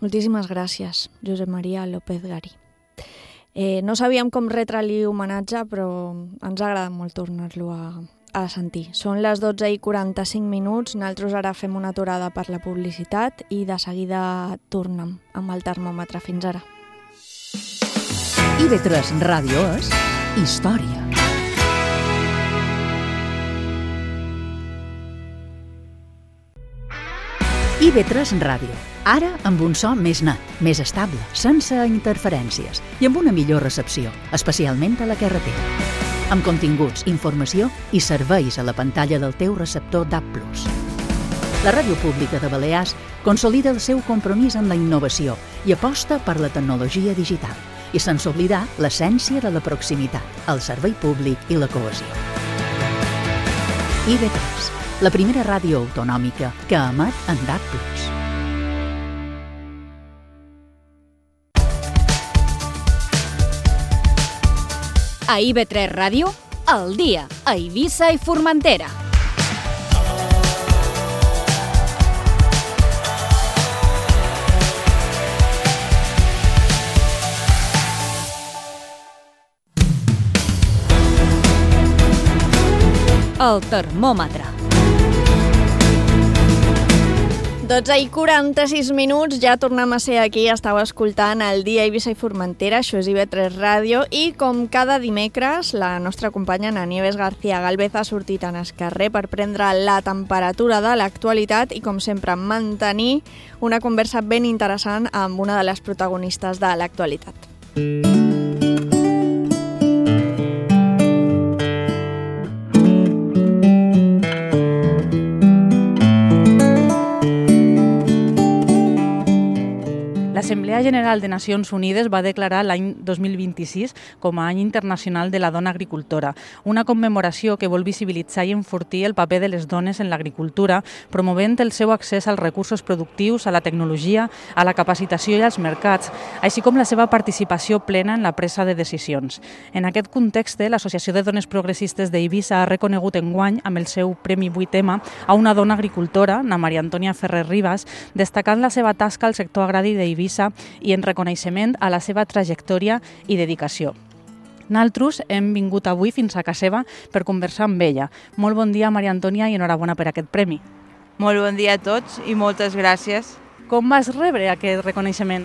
Moltíssimes gràcies, Josep Maria López Garí. Eh, no sabíem com retre-li homenatge, però ens ha agradat molt tornar-lo a, a sentir. Són les dotze i quaranta-cinc minuts, nosaltres ara fem una aturada per la publicitat i de seguida tornem amb el termòmetre. Fins ara. I ve tres Ràdio és història. I ve tres Ràdio. Ara amb un so més net, més estable, sense interferències i amb una millor recepció, especialment a la carretera. Amb continguts, informació i serveis a la pantalla del teu receptor D A B plus. La Ràdio Pública de Balears consolida el seu compromís amb la innovació i aposta per la tecnologia digital, i sense oblidar l'essència de la proximitat, el servei públic i la cohesió. I ve tres, la primera ràdio autonòmica que emet en D A B plus. A I ve tres Ràdio, al dia, a Eivissa i Formentera. El termòmetre. dotze i quaranta-sis minuts, ja tornem a ser aquí, estàu escoltant el dia Eivissa i Formentera, això és I ve tres Ràdio, i com cada dimecres, la nostra companya Ana Nieves García Gálvez ha sortit en el carrer per prendre la temperatura de l'actualitat i, com sempre, mantenir una conversa ben interessant amb una de les protagonistes de l'actualitat. La L'Assemblea General de Nacions Unides va declarar l'any dos mil vint-i-sis com a Any Internacional de la Dona Agricultora, una commemoració que vol visibilitzar i enfortir el paper de les dones en l'agricultura, promovent el seu accés als recursos productius, a la tecnologia, a la capacitació i als mercats, així com la seva participació plena en la presa de decisions. En aquest context, l'Associació de Dones Progressistes d'Eivissa ha reconegut enguany, amb el seu Premi Vuitema, a una dona agricultora, na Maria Antònia Ferrer Ribas, destacant la seva tasca al sector agrari d'Eivissa i en reconeixement a la seva trajectòria i dedicació. Nosaltres hem vingut avui fins a casa seva per conversar amb ella. Molt bon dia, Maria Antònia, i enhorabona per aquest premi. Molt bon dia a tots i moltes gràcies. Com vas rebre aquest reconeixement?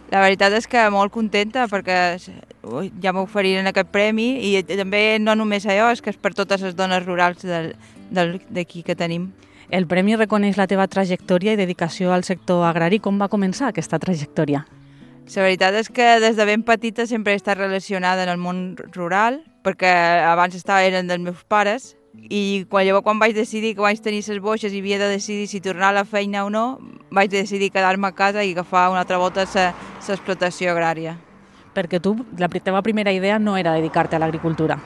La veritat és que molt contenta perquè ui, ja m'oferiren aquest premi i també no només allò, és que és per totes les dones rurals d'aquí que tenim. El premi reconeix la teva trajectòria i dedicació al sector agrari. Com va començar aquesta trajectòria? La veritat és que des de ben petita sempre he estat relacionada en el món rural, perquè abans estava, eren dels meus pares, i quan, llavors quan vaig decidir que vaig tenir les boixes i havia de decidir si tornar a la feina o no, vaig decidir quedar-me a casa i agafar una altra volta l'explotació agrària. Perquè tu, la teva primera idea no era dedicar-te a l'agricultura.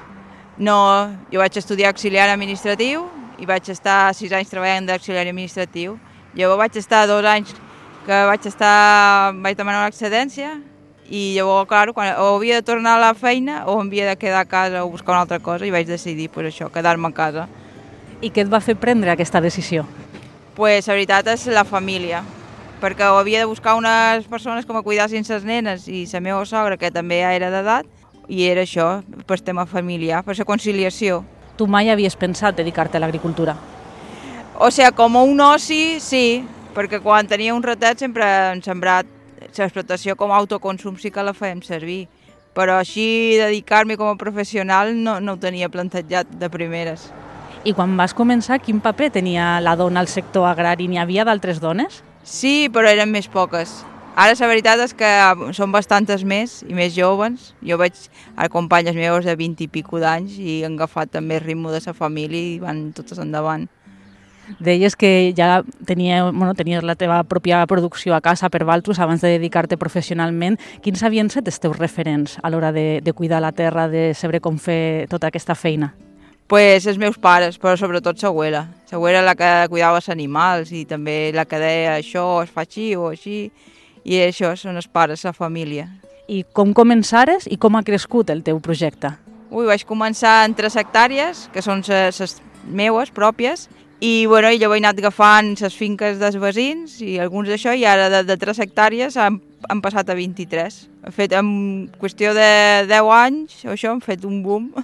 No, jo vaig estudiar auxiliar administratiu, i vaig estar sis anys treballant d'auxiliar administratiu. Llavors vaig estar dos anys que vaig estar, vaig demanar una excedència i llavors, clar, quan, o havia de tornar a la feina o havia de quedar a casa o buscar una altra cosa i vaig decidir pues, això, quedar-me a casa. I què et va fer prendre aquesta decisió? Pues, la veritat és la família, perquè havia de buscar unes persones que me cuidassin les nenes i la meva sogra, que també ja era d'edat, i era això, per tema familiar, per la conciliació. Tu mai havies pensat dedicar-te a l'agricultura? O sigui, com un oci, sí, perquè quan tenia un ratet sempre hem sembrat l'explotació com a autoconsum sí que la fèiem servir, però així dedicar-me com a professional no, no ho tenia plantejat de primeres. I quan vas començar, quin paper tenia la dona al sector agrari? N'hi havia d'altres dones? Sí, però eren més poques. Ara la veritat és que són bastantes més i més joves. Jo veig a companyes meves de vint i pico d'anys i han agafat també el ritme de la família i van totes endavant. Deies que ja tenia, bueno, tenies la teva pròpia producció a casa per Valtros abans de dedicar-te professionalment. Quins havien estat els teus referents a l'hora de, de cuidar la terra, de saber com fer tota aquesta feina? Pues els meus pares, però sobretot l'abuela. L'abuela la que cuidava els animals i també la que deia això es fa així o així. I això són els pares, la família. I com començares i com ha crescut el teu projecte? Ui, vaig començar en tres hectàrees, que són les meues pròpies, i, bueno, i llavors he anat agafant les finques dels veïns i alguns d'això, i ara de, de tres hectàrees han, han passat a vint-i-tres. He fet en qüestió de deu anys, això, hem fet un boom.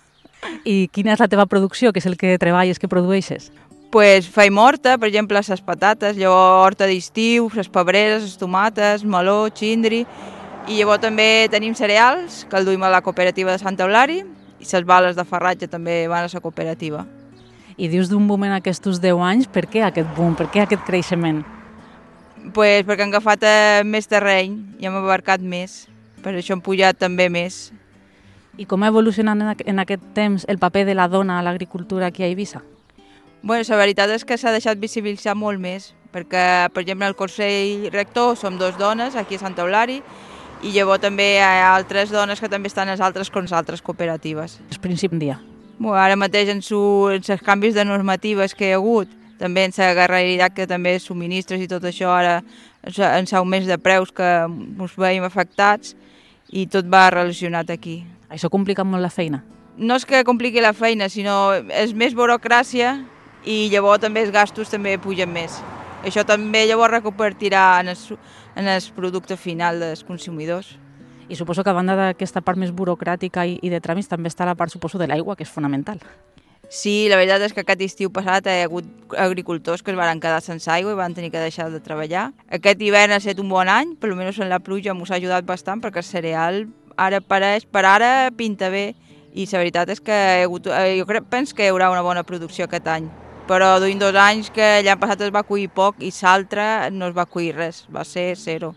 I quina és la teva producció, que és el que treballes, que produeixes? Pues feim horta, per exemple, les patates, llavors horta d'estiu, les pebreres, les tomates, meló, xindri, i llavors també tenim cereals, que el duim a la cooperativa de Sant Eulari, i les bales de farratge també van a la cooperativa. I dius d'un boom en aquests deu anys, per què aquest boom, per què aquest creixement? Pues perquè han agafat eh, més terreny i hem abarcat més, per això hem pujat també més. I com ha evolucionat en aquest temps el paper de la dona a l'agricultura aquí a Eivissa? Bueno, la veritat és que s'ha deixat visibilitzar molt més, perquè, per exemple, al Consell Rector som dos dones, aquí a Sant Eulari, i llavors també hi ha altres dones que també estan a les altres, com les altres cooperatives. És principi dia. Bueno, ara mateix en, su, en els canvis de normatives que hi ha hagut, també en la guerreritat que també subministres i tot això, ara en l'augment de preus que ens veiem afectats i tot va relacionat aquí. Això complica molt la feina? No és que compliqui la feina, sinó és més burocràcia i llavors també els gastos també pugen més. Això també llavors reconvertirà en el, en el producte final dels consumidors. I suposo que a banda d'aquesta part més burocràtica i, i de tràmits també està la part, suposo, de l'aigua, que és fonamental. Sí, la veritat és que aquest estiu passat hi ha hagut agricultors que es van quedar sense aigua i van tenir que deixar de treballar. Aquest hivern ha estat un bon any, per almenys en la pluja ens ha ajudat bastant perquè el cereal ara pareix, per ara pinta bé i la veritat és que hi ha hagut, jo crec, penso que hi haurà una bona producció aquest any. Però duim dos anys que l'any passat es va cuir poc i l'altre no es va cuir res, va ser zero.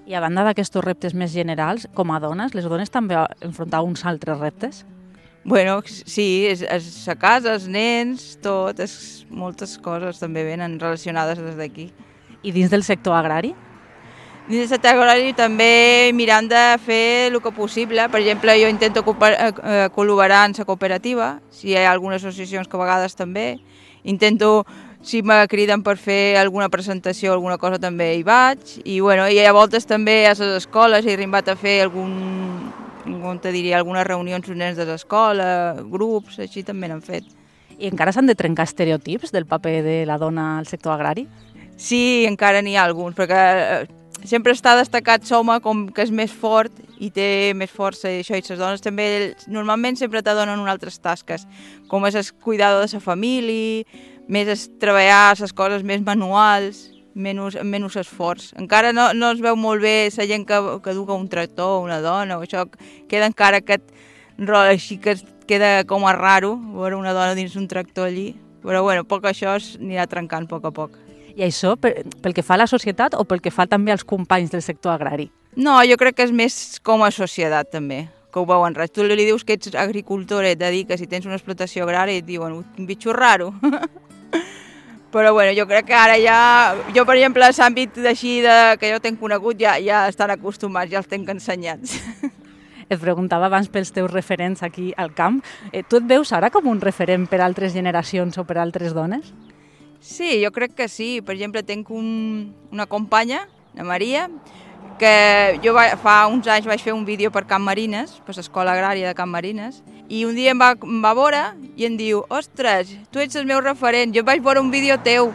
I a banda d'aquests reptes més generals, com a dones, les dones també enfrontar uns altres reptes? Bueno, sí, és, és la casa, els nens, tot, és, moltes coses també venen relacionades des d'aquí. I dins del sector agrari? Dins del sector agrari també mirant de fer el que possible. Per exemple, jo intento col·laborar en la cooperativa, si hi ha algunes associacions que a vegades també. Intento, si me criden per fer alguna presentació o alguna cosa, també hi vaig. I, bueno, i a voltes també a les escoles he arribat a fer algun, com te diria, algunes reunions amb nens de l'escola, grups, així també n'han fet. I encara s'han de trencar estereotips del paper de la dona al sector agrari? Sí, encara n'hi ha alguns, perquè sempre està destacat l'home com que és més fort i té més força i això, i les dones també normalment sempre te donen unes altres tasques, com és el cuidado de la família, més és treballar les coses més manuals, menys, menys esforç. Encara no, no es veu molt bé la gent que, que duga un tractor, una dona, o això, queda encara aquest rol així que queda com a raro veure una dona dins un tractor allí, però bueno, poc això s'anirà trencant a poc a poc. I això pel que fa a la societat o pel que fa també als companys del sector agrari? No, jo crec que és més com a societat també, que ho veuen res. Tu li dius que ets agricultor, et dediques i tens una explotació agrària i et diuen un bitxo raro. Però bueno, jo crec que ara ja, jo per exemple, a l'àmbit d'així que jo tenc conegut ja, ja estan acostumats, ja els tenc ensenyats. Et preguntava abans pels teus referents aquí al camp. Eh, tu et veus ara com un referent per a altres generacions o per a altres dones? Sí, jo crec que sí. Per exemple, tenc un, una companya, la Maria, que jo va, fa uns anys vaig fer un vídeo per Camp Marines, per l'escola agrària de Camp Marines, i un dia em va, em va veure i em diu, ostres, tu ets el meu referent, jo vaig veure un vídeo teu.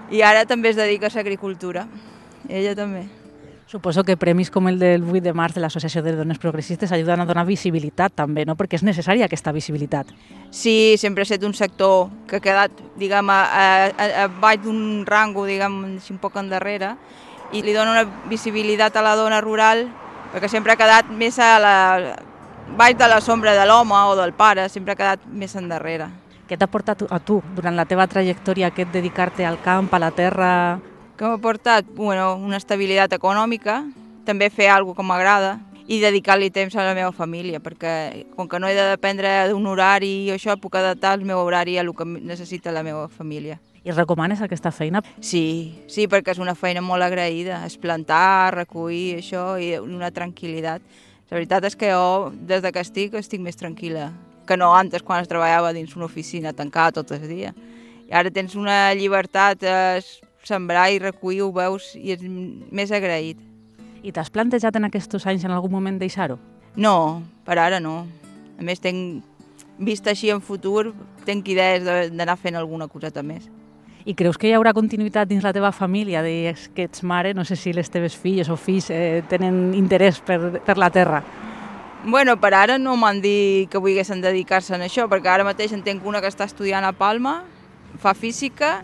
I ara també es dedica a l'agricultura. Ella també. Suposo que premis com el del vuit de març de l'Associació de Dones Progressistes ajuden a donar visibilitat també, no? Perquè és necessària aquesta visibilitat. Sí, sempre ha estat un sector que ha quedat, diguem, a, a, a baix d'un rango, diguem, un poc endarrere, i li dona una visibilitat a la dona rural, perquè sempre ha quedat més a la, baix de la sombra de l'home o del pare, sempre ha quedat més endarrere. Què t'ha portat a tu, durant la teva trajectòria, aquest dedicar-te al camp, a la terra? Que m'ha portat bueno, una estabilitat econòmica, també fer alguna cosa que m'agrada i dedicar-li temps a la meva família, perquè com que no he de dependre d'un horari i això, puc adaptar el meu horari a el que necessita la meva família. I recomanes aquesta feina? Sí, sí, perquè és una feina molt agraïda, és plantar, recollir, això, i una tranquil·litat. La veritat és que jo, des que estic, estic més tranquil·la que no antes, quan es treballava dins una oficina tancada tot el dia. I ara tens una llibertat, eh, sembrar i recollir, ho veus, i és més agraït. I t'has plantejat en aquests anys en algun moment deixar-ho? No, per ara no. A més, tenc vist així en futur, tenc idees d'anar fent alguna coseta més. I creus que hi haurà continuïtat dins la teva família? Deies que ets mare, no sé si les teves filles o fills eh, tenen interès per, per la terra. Bueno, per ara no m'han dit que volguessin dedicar-se a això, perquè ara mateix en tenc una que està estudiant a Palma, fa física,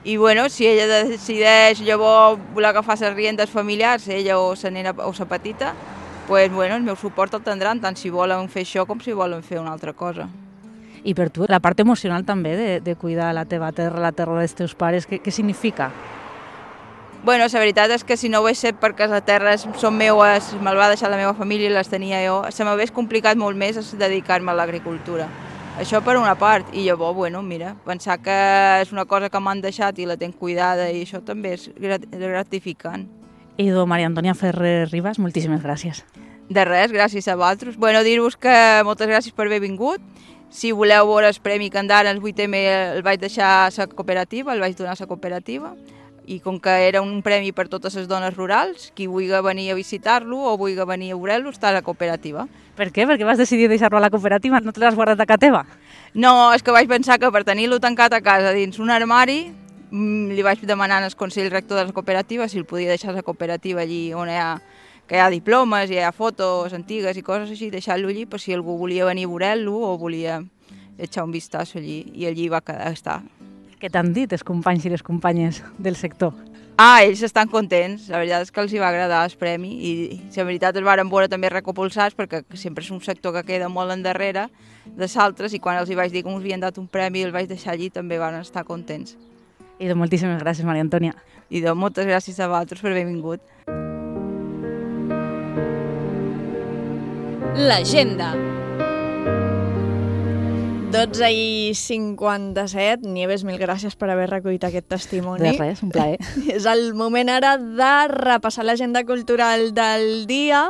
i bueno, si ella decideix llavors voler agafar les riendes familiars, ella o la nena o la petita, pues, bueno, el meu suport el tindran, tant si volen fer això com si volen fer una altra cosa. I per tu, la part emocional també de, de cuidar la teva terra, la terra dels teus pares, què, què significa? Bueno, la veritat és que si no ho hagués set perquè les terres són meues, me'l va deixar la meva família i les tenia jo, se m'hagués complicat molt més dedicar-me a l'agricultura. Això per una part, i llavors, bueno, mira, pensar que és una cosa que m'han deixat i la tenc cuidada i això també és gratificant. Idò, Maria Antònia Ferrer Ribas, moltíssimes gràcies. De res, gràcies a vosaltres. Bueno, dir-vos que moltes gràcies per haver vingut. Si voleu veure el premi Candara, el vuit eme el vaig deixar a la cooperativa, el vaig donar a la cooperativa, i com que era un premi per totes les dones rurals, qui vulgui venir a visitar-lo o vulgui venir a veure-lo està a la cooperativa. Per què? Per què vas decidir deixar-lo a la cooperativa? No te l'has guardat a casa teva? No, és que vaig pensar que per tenir-lo tancat a casa dins un armari, li vaig demanar al Consell Rector de la cooperativa si el podia deixar a la cooperativa allí on hi ha, que hi ha diplomes, hi ha fotos antigues i coses així, deixar-lo allí per si algú volia venir a veure-lo o volia echar un vistazo allí, i allí va quedar estar. Què t'han dit els companys i les companyes del sector? Ah, ells estan contents, la veritat és que els hi va agradar el premi i la veritat els varen veure també recopulsats perquè sempre és un sector que queda molt endarrere de l'altres i quan els hi vaig dir que ens havien dat un premi i el vaig deixar allí també van estar contents. I doncs moltíssimes gràcies, Maria Antònia. I doncs moltes gràcies a vosaltres per haver vingut. L'agenda. dotze i cinquanta-set. Nieves, mil gràcies per haver recollit aquest testimoni. De res, un plaer. És el moment ara de repassar l'agenda cultural del dia,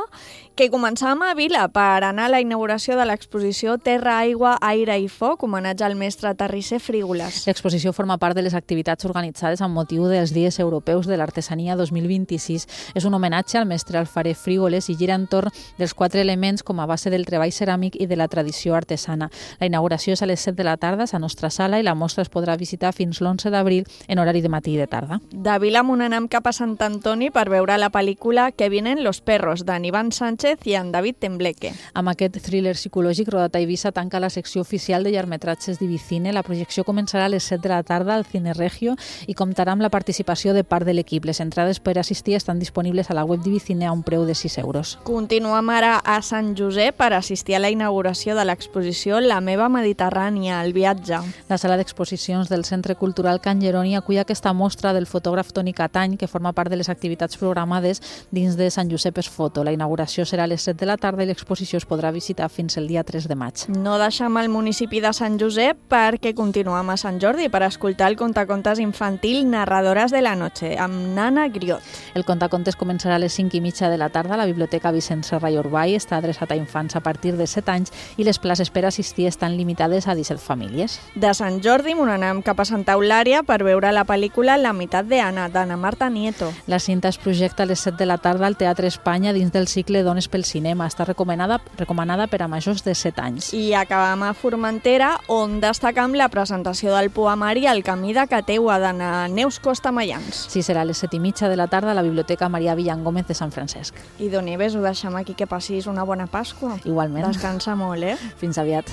que començàvem a Vila per anar a la inauguració de l'exposició Terra, Aigua, Aire i Foc, homenatge al mestre terrisser Frígoles. L'exposició forma part de les activitats organitzades amb motiu dels Dies Europeus de l'Artesania dos mil vint-i-sis. És un homenatge al mestre alfarer Frígoles i gira entorn dels quatre elements com a base del treball ceràmic i de la tradició artesana. La inauguració és a les set de la tarda a la nostra sala i la mostra es podrà visitar fins l'onze d'abril en horari de matí i de tarda. De Vila amunt anem cap a Sant Antoni per veure la pel·lícula Que vienen los perros, d'en Iván Sánchez i en David Tembleque. Amb aquest thriller psicològic, rodat a Eivissa tanca la secció oficial de llargmetratges d'Ivicine. La projecció començarà a les set de la tarda al Cine Regio i comptarà amb la participació de part de l'equip. Les entrades per assistir estan disponibles a la web d'Ivicine a un preu de sis euros. Continuem ara a Sant Josep per assistir a la inauguració de l'exposició La meva Mediterrània, el viatge. La sala d'exposicions del Centre Cultural Can Jeroni acull aquesta mostra del fotògraf Toni Catany, que forma part de les activitats programades dins de Sant Josep es Foto. La inauguració serà a les set de la tarda i l'exposició es podrà visitar fins el dia tres de maig. No deixem el municipi de Sant Josep perquè continuem a Sant Jordi per escoltar el contacontes infantil Narradores de la Noche amb Nana Griot. El contacontes començarà a les cinc i mitja de la tarda a la Biblioteca Vicent Serra i Urbay. Està adreçat a infants a partir de set anys i les places per assistir estan limitades a disset famílies. De Sant Jordi anem cap a Santa Eulària per veure la pel·lícula La meitat de Anna, d'Anna Marta Nieto. La cinta es projecta a les set de la tarda al Teatre Espanya dins del cicle Dones pel cinema. Està recomanada, recomanada per a majors de set anys. I acabam a Formentera, on destacam la presentació del poemari El camí de Cateua, de Neus Costa Mayans. Sí, serà a les set i mitja de la tarda a la Biblioteca Maria Villangómez de Sant Francesc. I Don Nieves, ho deixem aquí, que passis una bona Pasqua. Igualment. Descansa molt, eh? Fins aviat.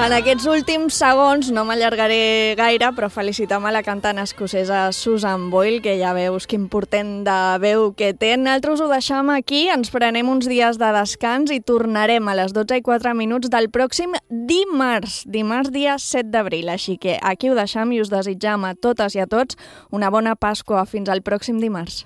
En aquests últims segons no m'allargaré gaire, però felicitem a la cantant escocesa Susan Boyle, que ja veus quin portent de veu que té. Nosaltres ho deixem aquí, ens prenem uns dies de descans i tornarem a les dotze i quatre minuts del pròxim dimarts, dimarts dia set d'abril. Així que aquí ho deixem i us desitjam a totes i a tots una bona Pasqua. Fins al pròxim dimarts.